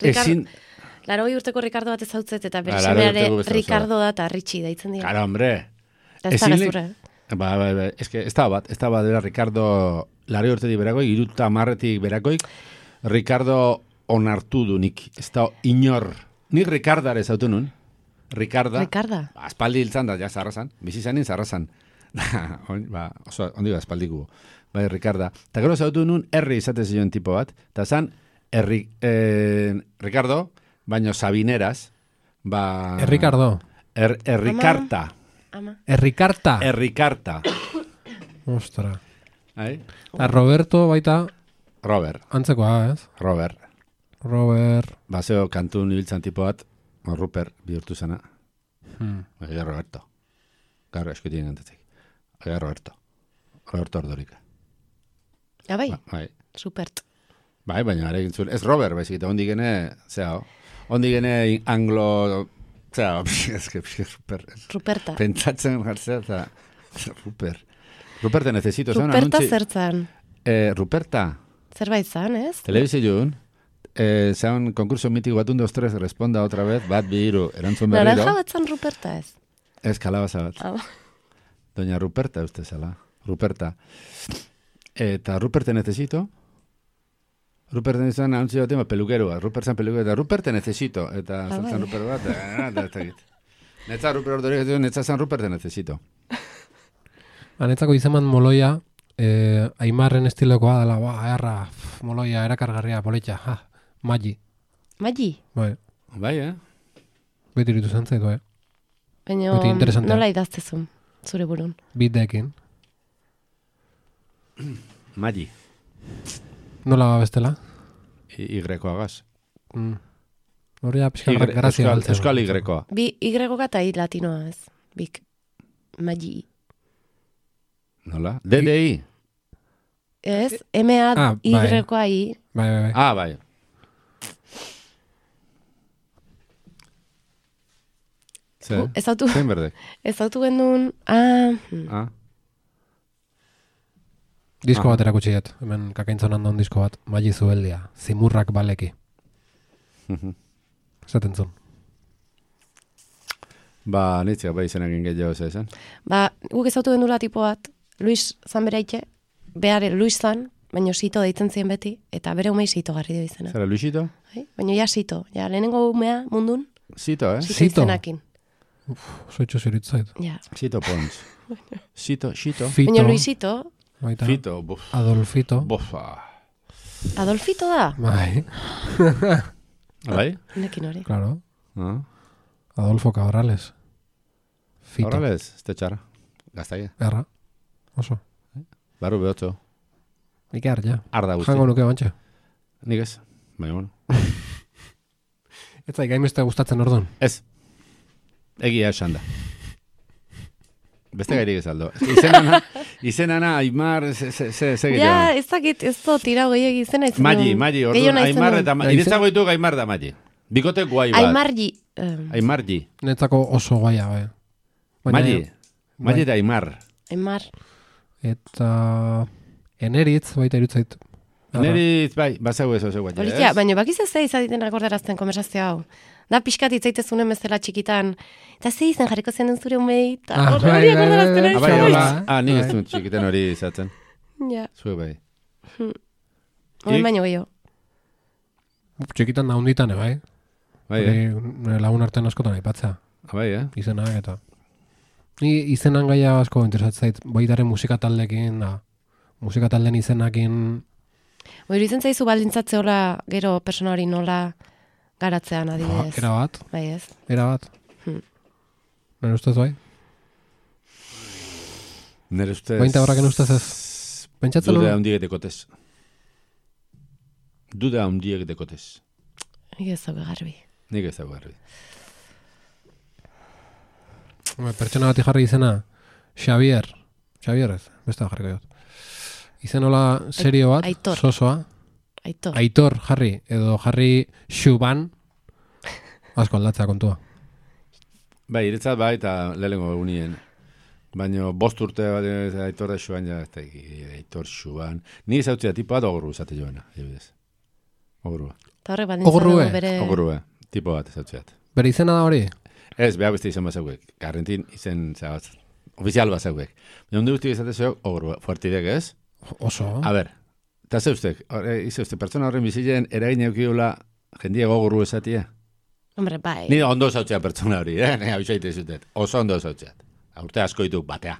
ezin... Laro urteko Ricardo bat zautzet, eta bere semeare Ricardo da eta Ritxi daitzen dira. Cara, hombre. Ez da gazure. Ba, ez da bat dela Ricardo laro urtetik berakoik, 30 berakoik, Ricardo onartu du nik. Ez da inor. Nik Ricardare zautu nun. Ricarda. Aspaldi hiltzan da, ja, zarrazan. Bizi zanin zarrazan. Oso, ondi ba, aspaldikubo. Bai, Ricarda. Eta gero zautu nun, herri izate zion tipo bat. Eta zan, Ricardo, baino Sabineraz. Ricardo. Errikarta. Errikarta. Ostra. Eta Roberto baita... Robert. Antzekoa, ez? Robert. Baseo kantun ibiltzan tipo bat, Rupert bihurtu zena. Ega Roberto. Garro eskutien gantatik. Ega Roberto Ordorika. Ja, bai? Supert. Bai, baina arekin zuen. Ez Robert, baizik, eta ondi gene, ondi gene anglo... Ruperta. Pentsatzen jartzea, eta... Ruperta necesito. Ruperta zertzan. Ruperta. Zerbait zan, ez? Telebizioen, Zean, konkurso mitiko bat 1, 2, 3, responda otra vez, bat, bi, hiru, erantzun berriro. Naranja bat zan Ruperta ez? Ez, kalabaza bat. Doña Ruperta, uste zala. Ruperta. Eta Ruperte necesito. Ruperte necesito, anuntzio bat, peluqueroa. Rupert zan peluqueroa, eta Ruperte necesito. Eta zan Rupert bat, netza Rupert ordorik, netza zan Ruperte necesito. Netzako izaman moloia, Aimarren estilokoa dela, erra, moloia, erakargarria, poletxa, Magi. Magi? Bai, Beti iritu zantzaitu, Baina nola idaztezun, zure burun? Bitdeekin. Magi. Nola bestela? Y-agaz. Horia pixka grazia galtzen. Euskal Y-koa. Bi Y-koa eta latinoa ez. Bik. Magi. Nola? DDI? Ez, M-A-Y-koa I. Bai. Bai. Zein berdek? Ez autu gendun... Disko bat erakutsi dut, hemen kakaintzon handaun disko bat, Magi Zubeldia, Zimurrak baleki. Zaten zun. Nitzia, izenak gehiago esan. Guk ez autu gendula tipo bat, Luis zan bereike, behar Luis zan, baina Sito deitzen zien beti, eta bere umei Sito garri dio izena. Zara Luisito? Baina ja Sito, lehenengo umea mundun. Sito, Sito izenakin. Soitxo ziritzait. Sito Pons. Sito. Baina Luisito... Fito, Adolfito. Adolfito da? Bai. Bai? Nekin hori. Claro. Adolfo Cabrales. Fito. Cabrales, este txarra. Gaztaia. Erra. Oso. Barru behotzo. Nik ja. Arda guzti. Jango nuke bantxe. Nik ez. Baina bueno. Ez zaik gaimeste gustatzen orduan. Ez. Egia esan da. Beste gairik ez aldo. Izenana, Aimar, ze gehiago. Ja, ez dakit, ez do, tirau gehiagi izena izan. Magi, orduan, Aimar eta Magi. Iretzago ditu Aimar da Magi. Bikote guai bat. Aimargi. Netzako oso guaia, bai. Magi da Aimar. Aimar. Eta... Eneritz, baita irutzait. Eneritz, bai, bazau ez oso guai. Baina bakiz ez izaditen akordarazten konversazio hau. Da pixkat itzaitezunen bezala txikitan. Eta ze izan jarriko zen den zure umei. Eta hori akordarazten ari. Nik ez dut txikitan hori izatzen. Ja. Zue bai. Hori baino gehiago. Txikitan da hunditan, bai. Bai, lagun artean askotan aipatzea. Bai, Izenak eta... Ni izenan gaia asko interesatzait. Boitaren musika taldekin, musika talden izenakin... Hori izen zaizu baldintzatze hola gero persona hori nola... garatzean adibidez. Era bat. Bai ez. Era bat. Nere ustez bai? Nere ustez... Bainta horraken ustez ez. Pentsatzen Duda handiek dekotez. Duda handiek dekotez. Nik ez dago garbi. Pertsona bat jarri izena Xavier ez, beste jarriko jot. Izen hola serio bat, Aitor. Sosoa. Aitor jarri, edo jarri Xuban, asko aldatzea kontua. Bai, iretzat bai, eta lehengo egunien. Baina 5 urte Aitor da Xuban, Aitor Xuban. Ni zautzea tipoa da ogurru zate joana, ebidez. Ogurrua. Eta horrek badintzatu bere... Ogurrua, tipo bat zautzeat. Bere izena da hori? Ez, behar beste izan bazauek. Garrentin izen zabat. Ofizial bazauek. Baina hundu guzti izatezeo, ogurrua. Fuertidek, ez? Oso. A ber, eta zeuztek, pertsona horren bizilen eragin eukiula jendia gogurru esatia? Hombre, bai. Ni ondo zautzea pertsona hori, ni abisaite zutet. Oso ondo zautzea. Urte asko ditu batea.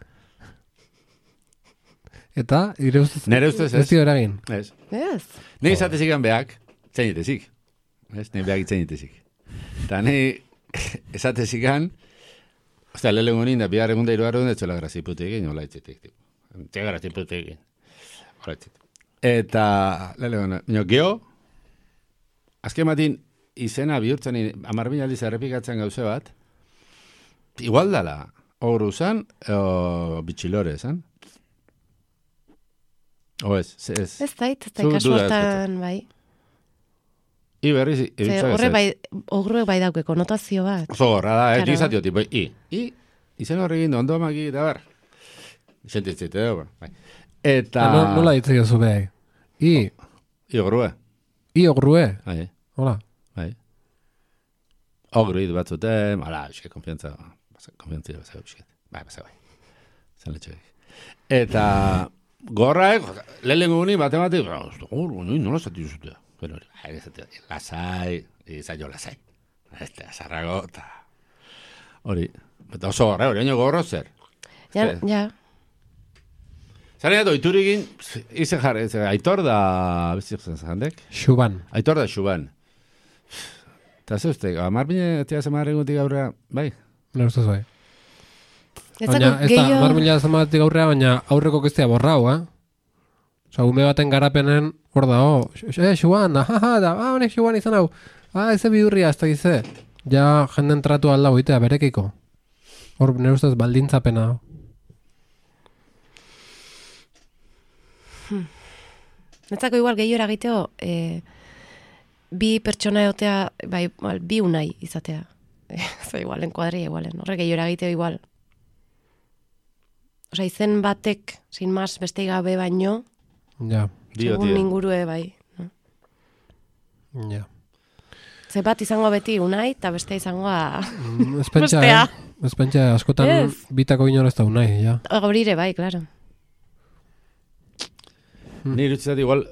Eta, nire ustez ez? Ez dio eragin? Ez. Ez. Ni izatezikan behak, txainitezik. Ez, ni behak txainitezik. Eta ni esatezikan, ostia, lehelen honin da, bihar egun da iruar egun, etxola graziputekin, hola etxetik. Tia graziputekin. Eta, lehelen, geho, azken batin, izena bihurtzen, 10.000 aldiz errepikatzen gauze bat, igual dala, ogru zan, o bitxilore zan. O ez, ez. Ez dait, kasu hortan, bai. Iberriz, horre bai, ogruek bai dauke, konotazio bat. Oso gorra da, nik izatio tipo, izen horrekin ondo amaki, da bar. Sentitzite, bai. Eta... Nola ditzea zu behai? I ogrue. Ogrue. Bai. Hola. Bai. Ogru hidu batzuten, eske konfiantza bazau bisket. Bai. Zan letxoik. Eta gorraek, lehenengo guni matematik, nola zati duzute. Pero lasai, izaino lasai. Azarrago, eta hori. Eta oso gorra, hori gorro zer. Ja. Zaren edo, iturikin, izen jarri, Aitor da, bezik zandek? Xuban. Aitor da Xuban. Eta ze uste, marbine, tia zemarri gutik gaurrea, bai? Nire ustez bai. Baina, ez da, marbila zematik gaurrea, baina aurreko kestea borrau, Osa, ume baten garapenen, hor da, Xuban, honek Xuban izan hau. Eze bidurria, ez da gize. Ja, jenden tratu alda goitea, berekiko. Hor, nire ustez, baldintzapena. Netzako igual gehiora egiteo, bi pertsona egotea, bai, bi unai izatea. Zer igualen, kuadria igualen. Horrek gehiora egiteo igual. Osa, izen batek, sin mas, beste gabe baino, ja. Segun ingurue, bai. Ja. Ze bat izango beti unai, eta beste izangoa bestea. Ez pentsa, askotan bitako inor ez da unai, ja. Gaurire, bai, klaro. Ni irutzat igual,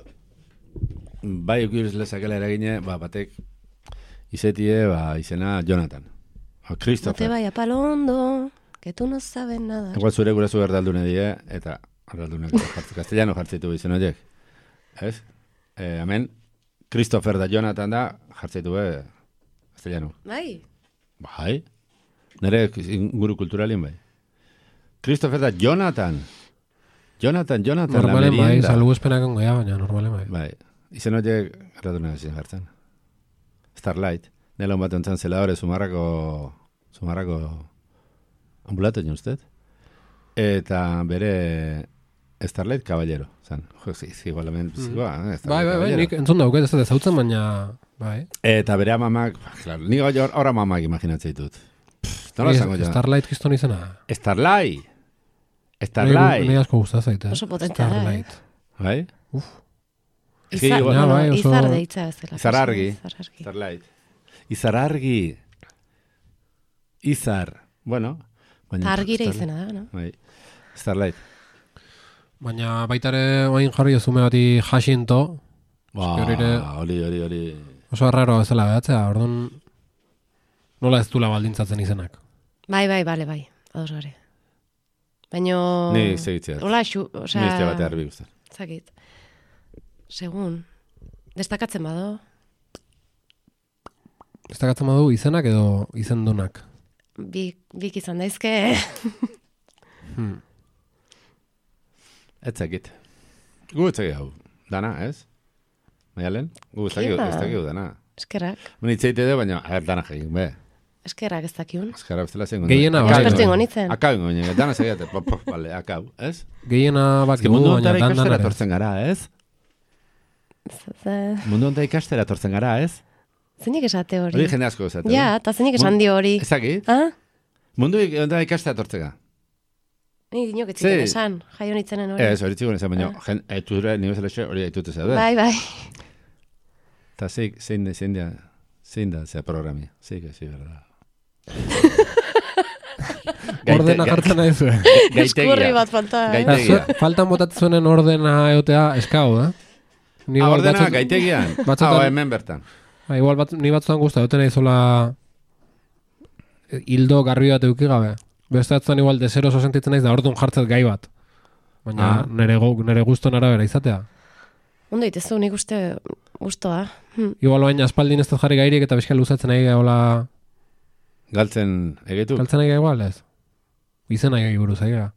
bai eukiruz lezakela eragine, batek izetie, izena Jonathan. Christopher. No te vaya palondo, que tu no sabes nada. Igual zure gurasu erdaldune die, eta erdaldunak castellano jartzitu izen horiek. Ez? Hemen, Christopher da Jonathan da, jartzitu castellano. Bai? Bai. Nere inguru kulturalien bai. Christopher da Jonathan. Jonathan, normalen bai, salgu espenakan goia, baina normalen bai. Bai, izen horiek erratunak ezin jartzen. Starlight, nela bat ontzan zeladore sumarrako ambulato usted. Eta bere Starlight Caballero, zan. Igualament, bai, nik entzun dauket, ez da zautzen, baina, bai. Eta bere amamak, claro, nik horra mamak imaginatzea ditut. Starlight kiston izena. Starlight. Ni asko gustaz zaite. Oso potentea da, Bai? Uf. Izar deitza ez dela. Izarargi. Starlight. Izarargi. Bueno. Argire izena da, no? Bai. Starlight. Baina baitare oain jarri ozume bati Jacinto. Hori. Oso arraro ez dela behatzea, orduan nola ez dula baldintzatzen izenak. Bai, ados gare. Baina... Ni segitzea. Hola, ni ez bate harbi guztar. Zakit. Segun. Destakatzen bado? Destakatzen badu izenak edo izendunak? Bik izan daizke. Ez zakit. Gu ez zakit hau. Dana, ez? Maialen? Gu ez zakit dana. Eskerrak. Munitzeite edo, baina dana egin, be. Eskerrak ez dakiun. Eskerrak bestela zen. Gehiena bai. Ekspertu ingo nitzen. Akau ingo nitzen. Dana segiate. Vale, akau, ez? Gehiena baki gu, baina dan ikastera tortzen gara, ez? Mundu honta ikastera tortzen gara, ez? Zeinik esate hori? Hori jende asko esate. Ja, eta zeinik esan dio hori. Ezakit? Mundu honta ikastera tortzega. Ni dinok etziken esan, jaio nitzenen hori. Ez, hori txikun esan, baina eture nire zelexe hori haitute zaude. Bai. Eta zein da zea programia. Zeik, berda. Ordena jartzen nahi zuen. Eskurri bat falta. Gaitegia. Faltan botatzuenen ordena egotea eskau, Ordena gaitegian. Hemen bertan. Igual ni batzutan guzta, egoten nahi zola hildo garbi bat euki gabe. Beste batzutan igual desero oso sentitzen naiz da orduan jartzet gai bat. Baina nire guzton arabera izatea. Ondo itezu, nik uste guztoa. Igual baina aspaldin ez da jarri gairik eta bizka luzatzen nahi gaiola... Galtzen egitu? Galtzen nahi igual, ez? Izen nahi buruz, aiga.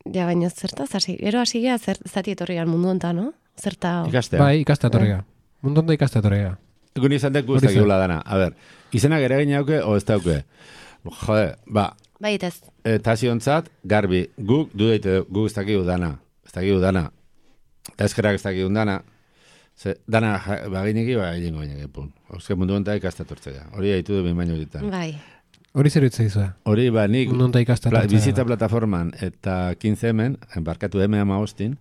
Ja, baina zertaz, gero hasi gea zati etorrian mundu onta, no? Zerta... Ikastea. Bai, ikastea etorriga. Mundu onta ikastea etorriga. Egun izan dek guztak egula dana. A ber, izenak ere egin hauke, o ez dauke? Jode, Bai, ez. Eta ziontzat, garbi, guk dudeite, guk ez dakigu dana. Ez dakigu dana. Eta eskerak ez dakigu dana. Dana bagineki, egingo baineke, pun. Euskal mundu onta ikastea tortzea. Hori haitu du behin baino ditan. Bai. Hori zer itzea izua? Hori, nik mundu onta ikastea tortzea. Bizitza plataforman eta 15 hemen, embarkatu hemen ama hostin,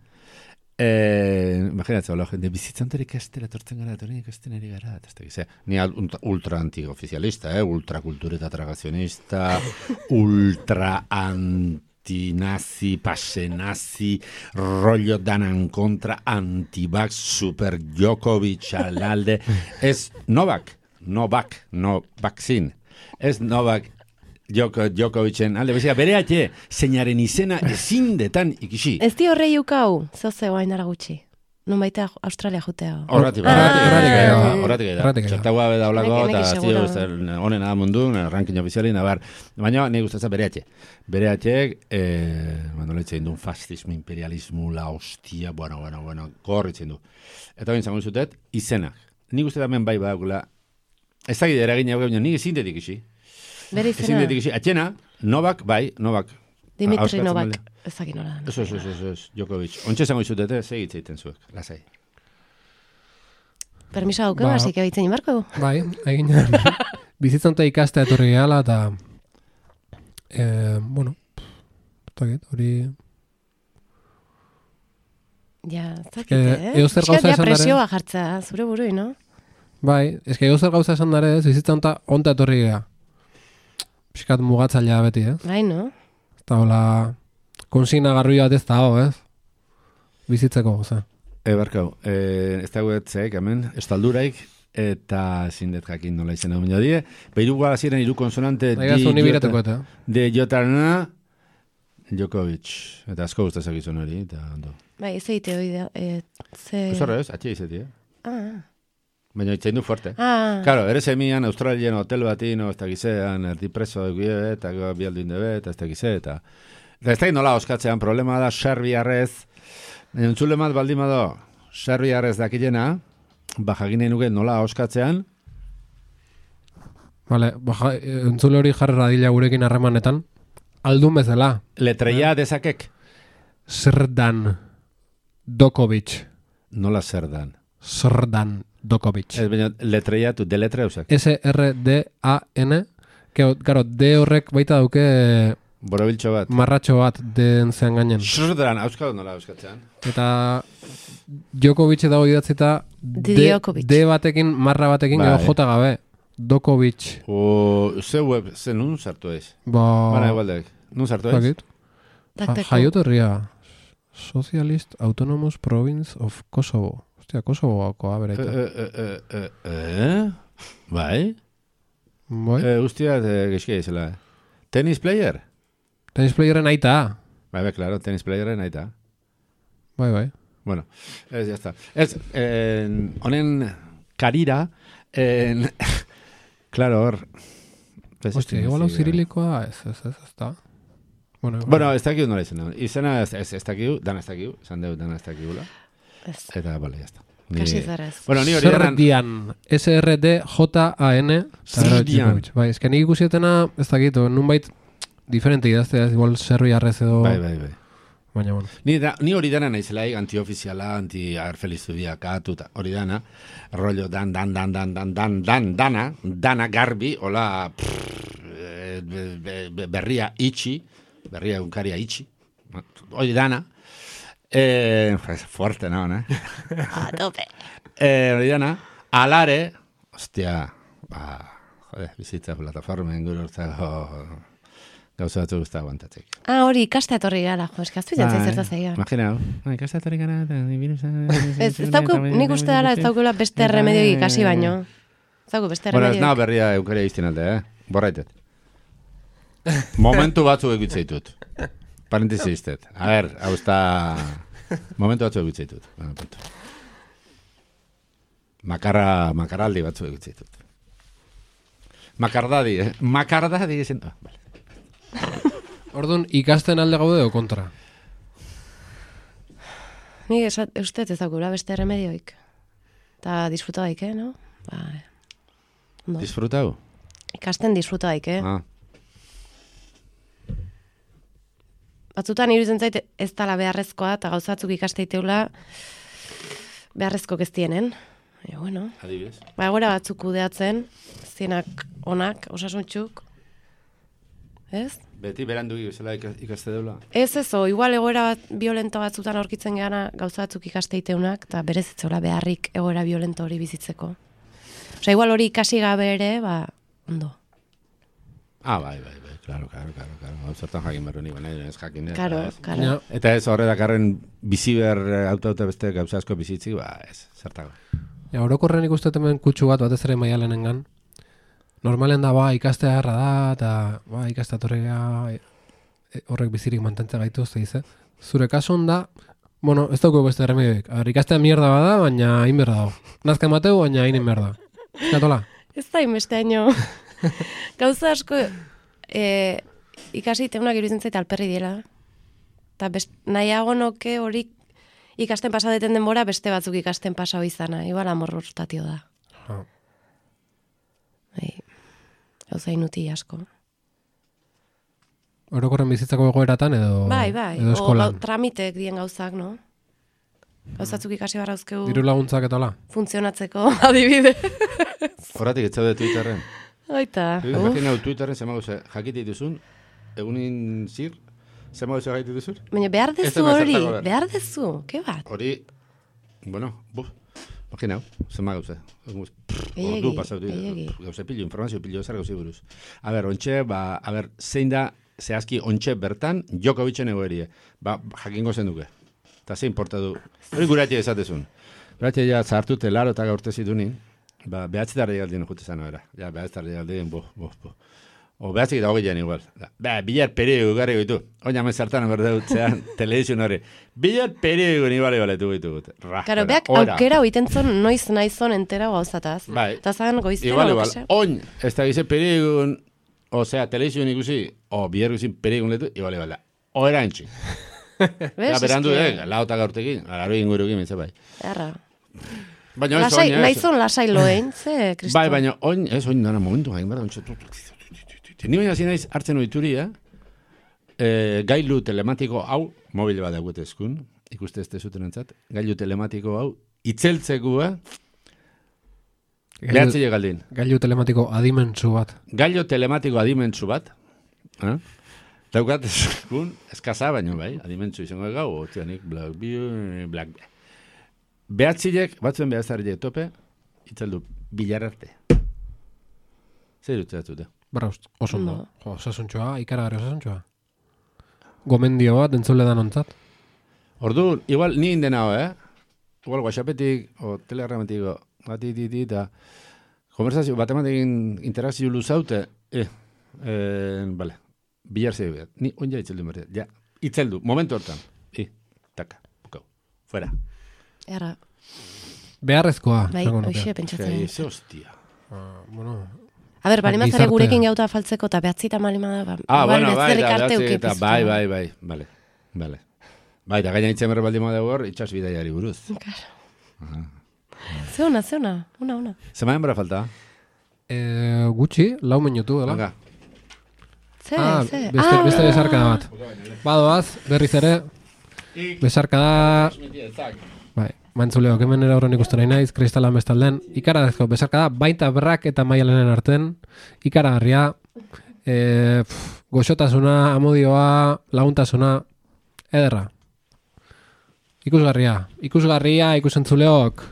Imaginatzen, jende bizitzanterik ikastela tortzen gara, eta hori ikasten eri gara, ni ultra antioficialista, ultrakultureta tragazionista, ultra antinazi, pasenazi, rollo danan kontra, antivax, super Djokovic alalde, ez Novak, no vaccine, ez Novak Djokovicen alde, bere atxe, zeinaren izena ezin detan ikisi. Ez di horrei ukau, zoze guain dara gutxi. Nun baita Australia jutea. Horratik txartagoa beda olako, eta honen mundu, ranking ofiziali, nabar. Baina, nahi gustatzen bere atxe. Bere atxek, mandoletzen du, fascismo, imperialismo, la hostia, bueno, gorritzen du. Eta bain zango zutet, izenak. Nik uste damen bai badakula, ez dakit eragin hau baina nik ezin detik isi. Bere izena. Atxena, Novak. Dimitri Novak. Ezakin nola. Ez, Djokovic. Ontsa zango izutete, segitza egiten zuek, lasai. Permisa duke, hasik ebitzen inbarko. Bai, egin bizitzanta ikastea etorri gehala, eta bueno, hori... Ja, zakite, Euskaldia presioa jartza, zure burui, no? Bai, euskel gauza esan dara ez, bizitzanta onta etorri geha. Piskat mugatzailea beti, Bai, no? Eta hola, konsigna garri bat ez da, ez? Bizitzeko, oza. Barkau, ez dago etzeek, hemen, estalduraik, eta zindet jakin nola izan egun jodie. Beiru guaziren iru konsonante de Jotarna Djokovic. Eta asko guztazak izan hori, eta ondo. Bai, ez egite hori da. Zorra ez, atxe izati, Baina itzain du fuerte. Claro, ere semian Australian hotel batino, ez da gizean, erdi preso eguie, eta bialduin debe, eta ez da gize, eta ez da nola oskatzean, problema da, serbiarrez, entzule mat baldimado, serbiarrez dakilena, bajagine nuke nola oskatzean. Vale, entzule hori jarri radila gurekin harremanetan, aldun bezala. Letreia dezakek? Srdan Djokovic. Nola Srdan? Srdan Djokovic. Ez baina letreia tu, deletre eusak. S-R-D-A-N, gero, D horrek baita dauke borobiltxo bat. Marratxo bat den zean gainen. Srdan, auskatu nola auskatzean. Eta Djokovic dago idatzita D batekin, marra batekin, gero J gabe. Djokovic. Ze web, ze nun sartu ez? Bana igualdek, nun sartu ez? Jaiot herria. Socialist Autonomous Province of Kosovo. Hostia, Kosovoakoa, bereita. Bai? Ustia, gexkia izela. Tennis player? Tennis playeren aita. Bai, claro, tennis playeren aita. Bai. Bueno, ez, ya está. Ez, honen karira, claro, hor... Hostia, igual hau zirilikoa, ez da. Bueno, ez dakiu nola izena. Izena ez dakiu, dana ez dakiu, esan deu dana ez dakiula. Eta, bale, ya está. Kasi zaraz. Bueno, ni hori eran... Srdian. S-R-D-J-A-N. Srdian. Bai, ez que nik ikusietena, ez dakit, nunbait diferente idaztea, igual serbiarrez edo... Bai. Baina, bueno. Ni hori dana naizelaik, antiofiziala, anti-arfelizudiakatu, hori dana, rollo dana garbi, hola, berria itxi, berria egunkaria itxi, hori dana, fuerte, no? A tope. Hori dana, alare, hostia, bizitza plataformen gururtzako gauza batzu guzta aguantatzek. Hori, ikastea etorri gara, jo, eskaztu jantzai zertaz egia. Imaginau, ikastea etorri gara, ez dauku, nik uste dara ez daukula beste remedio ikasi baino. Ez dauku beste remedio. Bueno, ez nago berria eukaria izten alde, borraitet. Momentu batzu egitzeitut. Parentesi iztet. A ver, hau está... Momentu batzu egitzeitut. Makaraldi batzu egitzeitut. Makardadi, Makardadi ezen... Vale. Orduan, ikasten alde gaude o kontra? Ni ustez ez daukula beste remedioik. Eta disfruta daik, no? No. Disfrutau? Ikasten disfruta daik, Batzutan iruditzen zait ez dala beharrezkoa, eta gauzatzuk ikasteiteula beharrezko geztienen. Bueno. Adibidez. Ba, egora batzuk kudeatzen, zienak onak, osasuntxuk, ez? Beti berandu gizela ikaste deula. Ez, igual egoera violento batzutan aurkitzen geana gauza batzuk ikasteiteunak, eta berez etzola beharrik egoera violento hori bizitzeko. Osa, igual hori ikasi gabe ere, ondo. Bai, claro. Zertan jakin berro nik, nahi ez jakin. Claro. Eta ez horre dakarren bizi behar auto beste gauza asko bizitzik, ez, zertago. Orokorren ikusten hemen kutsu batez ere Maialenengan. Normalen da, ikastea harra da, eta ikastea horrek bizirik mantentzea gaitu, ze zure kasun da, ez dauko beste remedioik. Ikastea mierda bada, baina hain berda dago. Nazka emateu, baina hain berda. Eskatola? Ez da inbeste haino. Gauza asko ikasi teunak iruditzen zait alperri diela. Eta nahiago noke hori ikasten pasadeten denbora beste batzuk ikasten pasau izana. Igual amorrostatio da. Gauza inuti asko. Orokorren bizitzako egoeratan edo edo eskolan? Tramiteek dien gauzak, no? Gauzatzuk ikasi barrauzkeu... Diru laguntzak eta hola? Funtzionatzeko, adibide. Horratik etzaude Twitterren. Oita. Jakin hau Twitterren zema gauza jakite dituzun, egunin zir, zema gauza jakite dituzun? Baina behar dezu hori, behar dezu, ke bat? Hori, Imagina, zema gauza. Ordu pasau dira. Gauza pillo, informazio pillo ezar gauzi buruz. Ontxe, zein da, zehazki ontxe bertan, Djokovicen egoerie. Jakingo zen duke. Eta zein porta du. Hori guratia ezatezun. Guratia ja zartute laro eta gaurte zitunin, behatzi tarri galdien jute zan era. Ja, behatzi tarri galdien, O behatzik eta hogeian igual. Bilar periodiko garri goitu. Oina men zartan berdutzean, televizio hori. Bilar periodiko ni baletu goitu gut. Karo, beak aukera oitentzon noiz naizon entera gauzataz. Eta zan goiztera. Igual. Oin, ez da gize periodikun, televizio ikusi, bilar guzin periodikun letu, igual. Oera entxi. Berandu, lauta gaurtekin, alaro ingurukin mintza bai. Erra. Naizon lasai loen, ze, Kristo? Bai, baina oin, ez oin dana momentu hain behar, ni baina zinaiz hartzen oituria, gailu telematiko hau, mobile bat dagoet eskun, ikuste ez zuten entzat, gailu telematiko hau, itzeltzekua, behatzile galdin. Gailu telematiko adimentsu bat. Gailu telematiko adimentsu bat, daukat eskun, eskaza baino bai, adimentsu izango gau, otianik, black. Behatzilek, batzuen behatzarriek tope, itzeldu bilararte. Zer dut zeratzute? Barraust, oso ondo. Osasuntxoa, ikaragarri osasuntxoa. Gomendio bat, entzule da nontzat. Orduan, igual ni indenao, Igual whatsappetik, o telegrammetik, eta konversazio, batematekin interakzio luzaute, vale, bilar zei behar. Ni onja itzeldu berri. Ja, itzeldu, momentu hortan. Taka, bukau, fuera. Erra. Beharrezkoa. Bai, hoxe pentsatzen. Ze hostia. A ber, bali mazare gurekin gauta faltzeko, eta behatzita malima da. Bueno, bai, bale. Bai, da gaina itzen berre baldima dago hor, itxas bidaiari buruz. Claro. Zeuna, una. Zemaen bera falta? Gutxi, 4 minutu, dela? Venga. Ze. Beste besarkada bat. Badoaz, berriz ere, besarkada... Bai, mantzuleok hemen erauron ikusten nahi naiz, kristalan bestalden. Ikaradezko, besarkada, baita berrak eta Maialenen arten. Ikaragarria, goxotasuna, amodioa, laguntasuna, ederra. Ikusgarria, ikusentzuleok.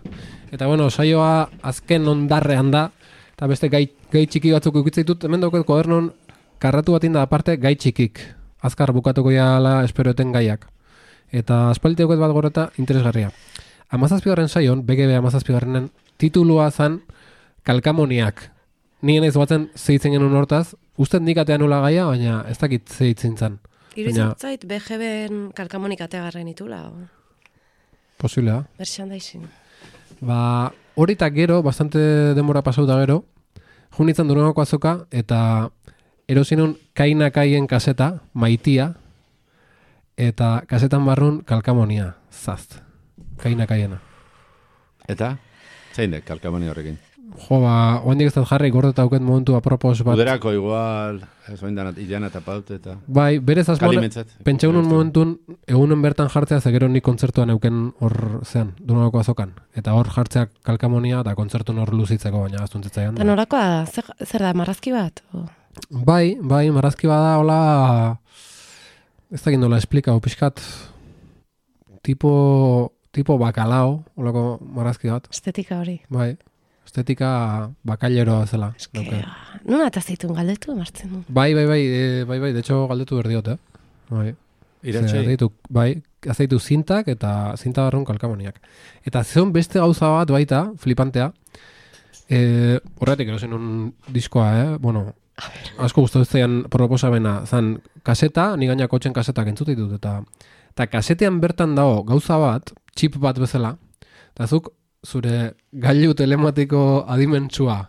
Eta bueno, saioa azken ondarrean da, eta beste gai txiki batzuk ukitzaitut, hemen dauket kodernon karratu bat inda aparte gai txikik. Azkar bukatuko jala esperoeten gaiak. Eta aspalditeuket bat goreta interesgarria. 17. saion, BGB 17. titulua zan kalkamoniak. Nien ez batzen zeitzen genuen hortaz, uste nik atean nula gaia, baina ez dakit zeitzen zan. Iruditzait BGB-en kalkamonik ateagarren itula. Posible da. Merchandising. Horitak gero, bastante denbora pasauta gero, junitzen Durangoko azoka, eta erosinun kainakaien kaseta, maitia, eta kasetan barrun kalkamonia, zazt. Kainakaiena. Eta? Zein dek kalkamonia horrekin? Oendik ez dut jarri gordeta auket momentu apropos bat. Uderako igual, ez oendan idean eta paute eta... Bai, berez asmoan, pentsa unun momentun, egunen bertan jartzea zegero nik kontzertuan euken hor zean, Durangoko azokan. Eta hor jartzeak kalkamonia eta kontzertun hor luzitzeko, baina aztuntzitzaian. Eta norakoa, zer da, marrazki bat? Bai, marrazki bada, hola, ez dakit nola esplikau, pixkat, tipo bakalao, holako marrazki bat. Estetika hori. Bai, estetika bakaileroa zela. Nuna eta zeitun galdetu, martzen du. Bai, de hecho galdetu berdiot, Bai. Iratxei? Bai, azeitu zintak eta zinta barrun kalkamoniak. Eta zeon beste gauza bat baita, flipantea, horretik erosen un diskoa, bueno, asko gustatu zaian proposamena, zan kaseta, ni gaina kotxen kasetak entzute ditut, eta kasetean bertan dago gauza bat, chip bat bezala, eta zuk zure gailu telematiko adimentsua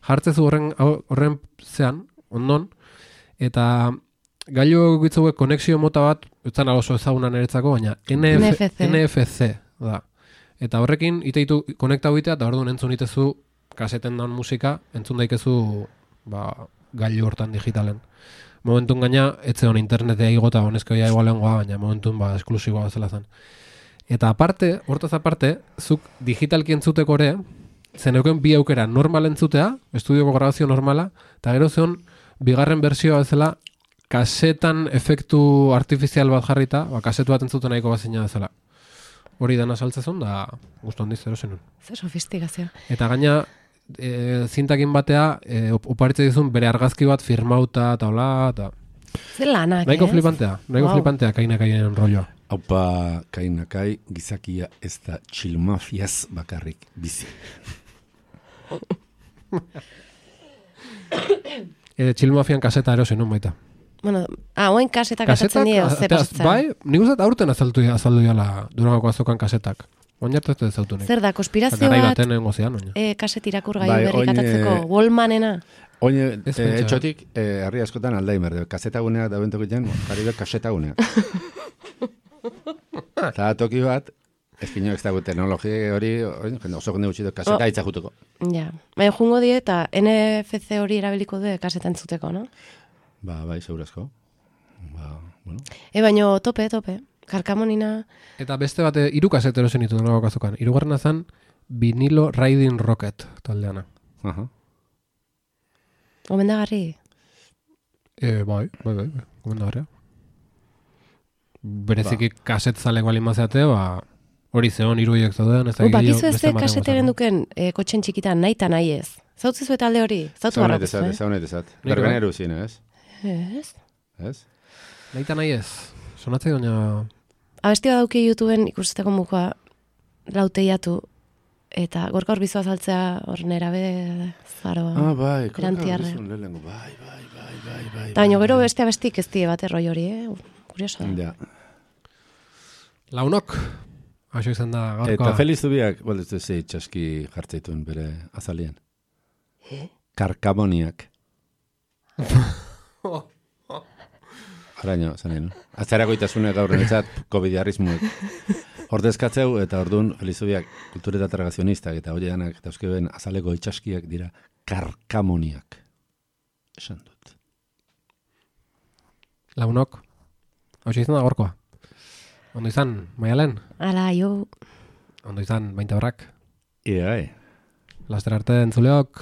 jartzezu horren zean, ondon, eta gailu gitzuek konexio mota bat, etzan oso ezaguna niretzako, baina NFC da. Eta horrekin iteitu konektau itea, eta orduan entzun itezu kaseten daun musika, entzun daikezu gailu hortan digitalen. Momentun gaina, etze hon internetea igota, honezkoia igualengoa, baina momentun esklusiboa bezala zen. Eta aparte, hortaz aparte, zuk digitalki entzuteko ere, zen euken bi aukera normal entzutea, estudioko grabazio normala, eta gero zeon, bigarren bersioa bezala, kasetan efektu artifizial bat jarrita, kasetu bat entzuten nahiko bazina bezala. Hori dana saltzezun, da guztu handiz zero zenun. Zer sofistikazioa. Eta gaina, zintakin batea, oparitze dizun bere argazki bat firmauta, eta hola, eta... Zer lanak, nahiko flipantea, kainakainen rolloa. Haupa, kainakai, gizakia ez da txilmafiaz bakarrik bizi. Txilmafian kaseta erosen, baita. Bueno, oen kasetak azatzen dira, zer pasatzen. Bai, nik uste aurten azaldu jala Durangoko azokan kasetak. Oinartu ez dut zautunik. Zer da, konspirazio bat, kaset irakur gai berrik atatzeko, Wallmanena. Oine, etxotik, herri askotan Alzheimer, kasetaguneak da bentoko jen, jarri kasetaguneak. Eta toki bat, ezpino ez dago teknologia hori, oso jende gutxi kaseta itzajutuko. Ja, baina jungo die eta NFC hori erabiliko du kaseta entzuteko, no? Bai, segurazko. Bueno. Baina tope, karkamonina. Eta beste bat, 3 kasete erosen ditu Durangoko azokan. 3. zan, Vinilo Riding Rocket taldeana. Gomendagarri? Bai, gomendagarria. Bereziki kaset zalek balin mazeate, hori zeon 3 horiek zauden. Bakizu ez de kasete genduken kotxen txikitan nahi eta nahi ez. Zautzizu eta alde hori? Zautu barra guztu, Zaunet Berbeneru zine, ez? Ez? Nahi eta nahi ez. Sonatzei doina... Abesti bat dauki YouTubeen ikusteteko mukoa lauteiatu eta gorka hor bizoa saltzea hor nerabe zaroa. Bai, erantiarre. Bai. Eta baino gero beste abestik ez die bat erroi hori, Kurioso da. Launok, haso izan da gaurkoa. Eta Feliz Zubiak, baldetu zei txaski jartzeituen bere azalien. Karkamoniak. Araño, zanen. Azarako itasune gaur netzat, COVID-arrizmuek. Ordezkatzeu eta ordun Feliz Zubiak kultureta tragazionistak eta hori danak eta euskeben azaleko itxaskiak dira karkamoniak. Esan dut. Launok, haso izan da gaurkoa. Ondo izan, Maialen? Ala, jo. Ondo izan, Baintabarrak? Ia, Laster arte entzuleok.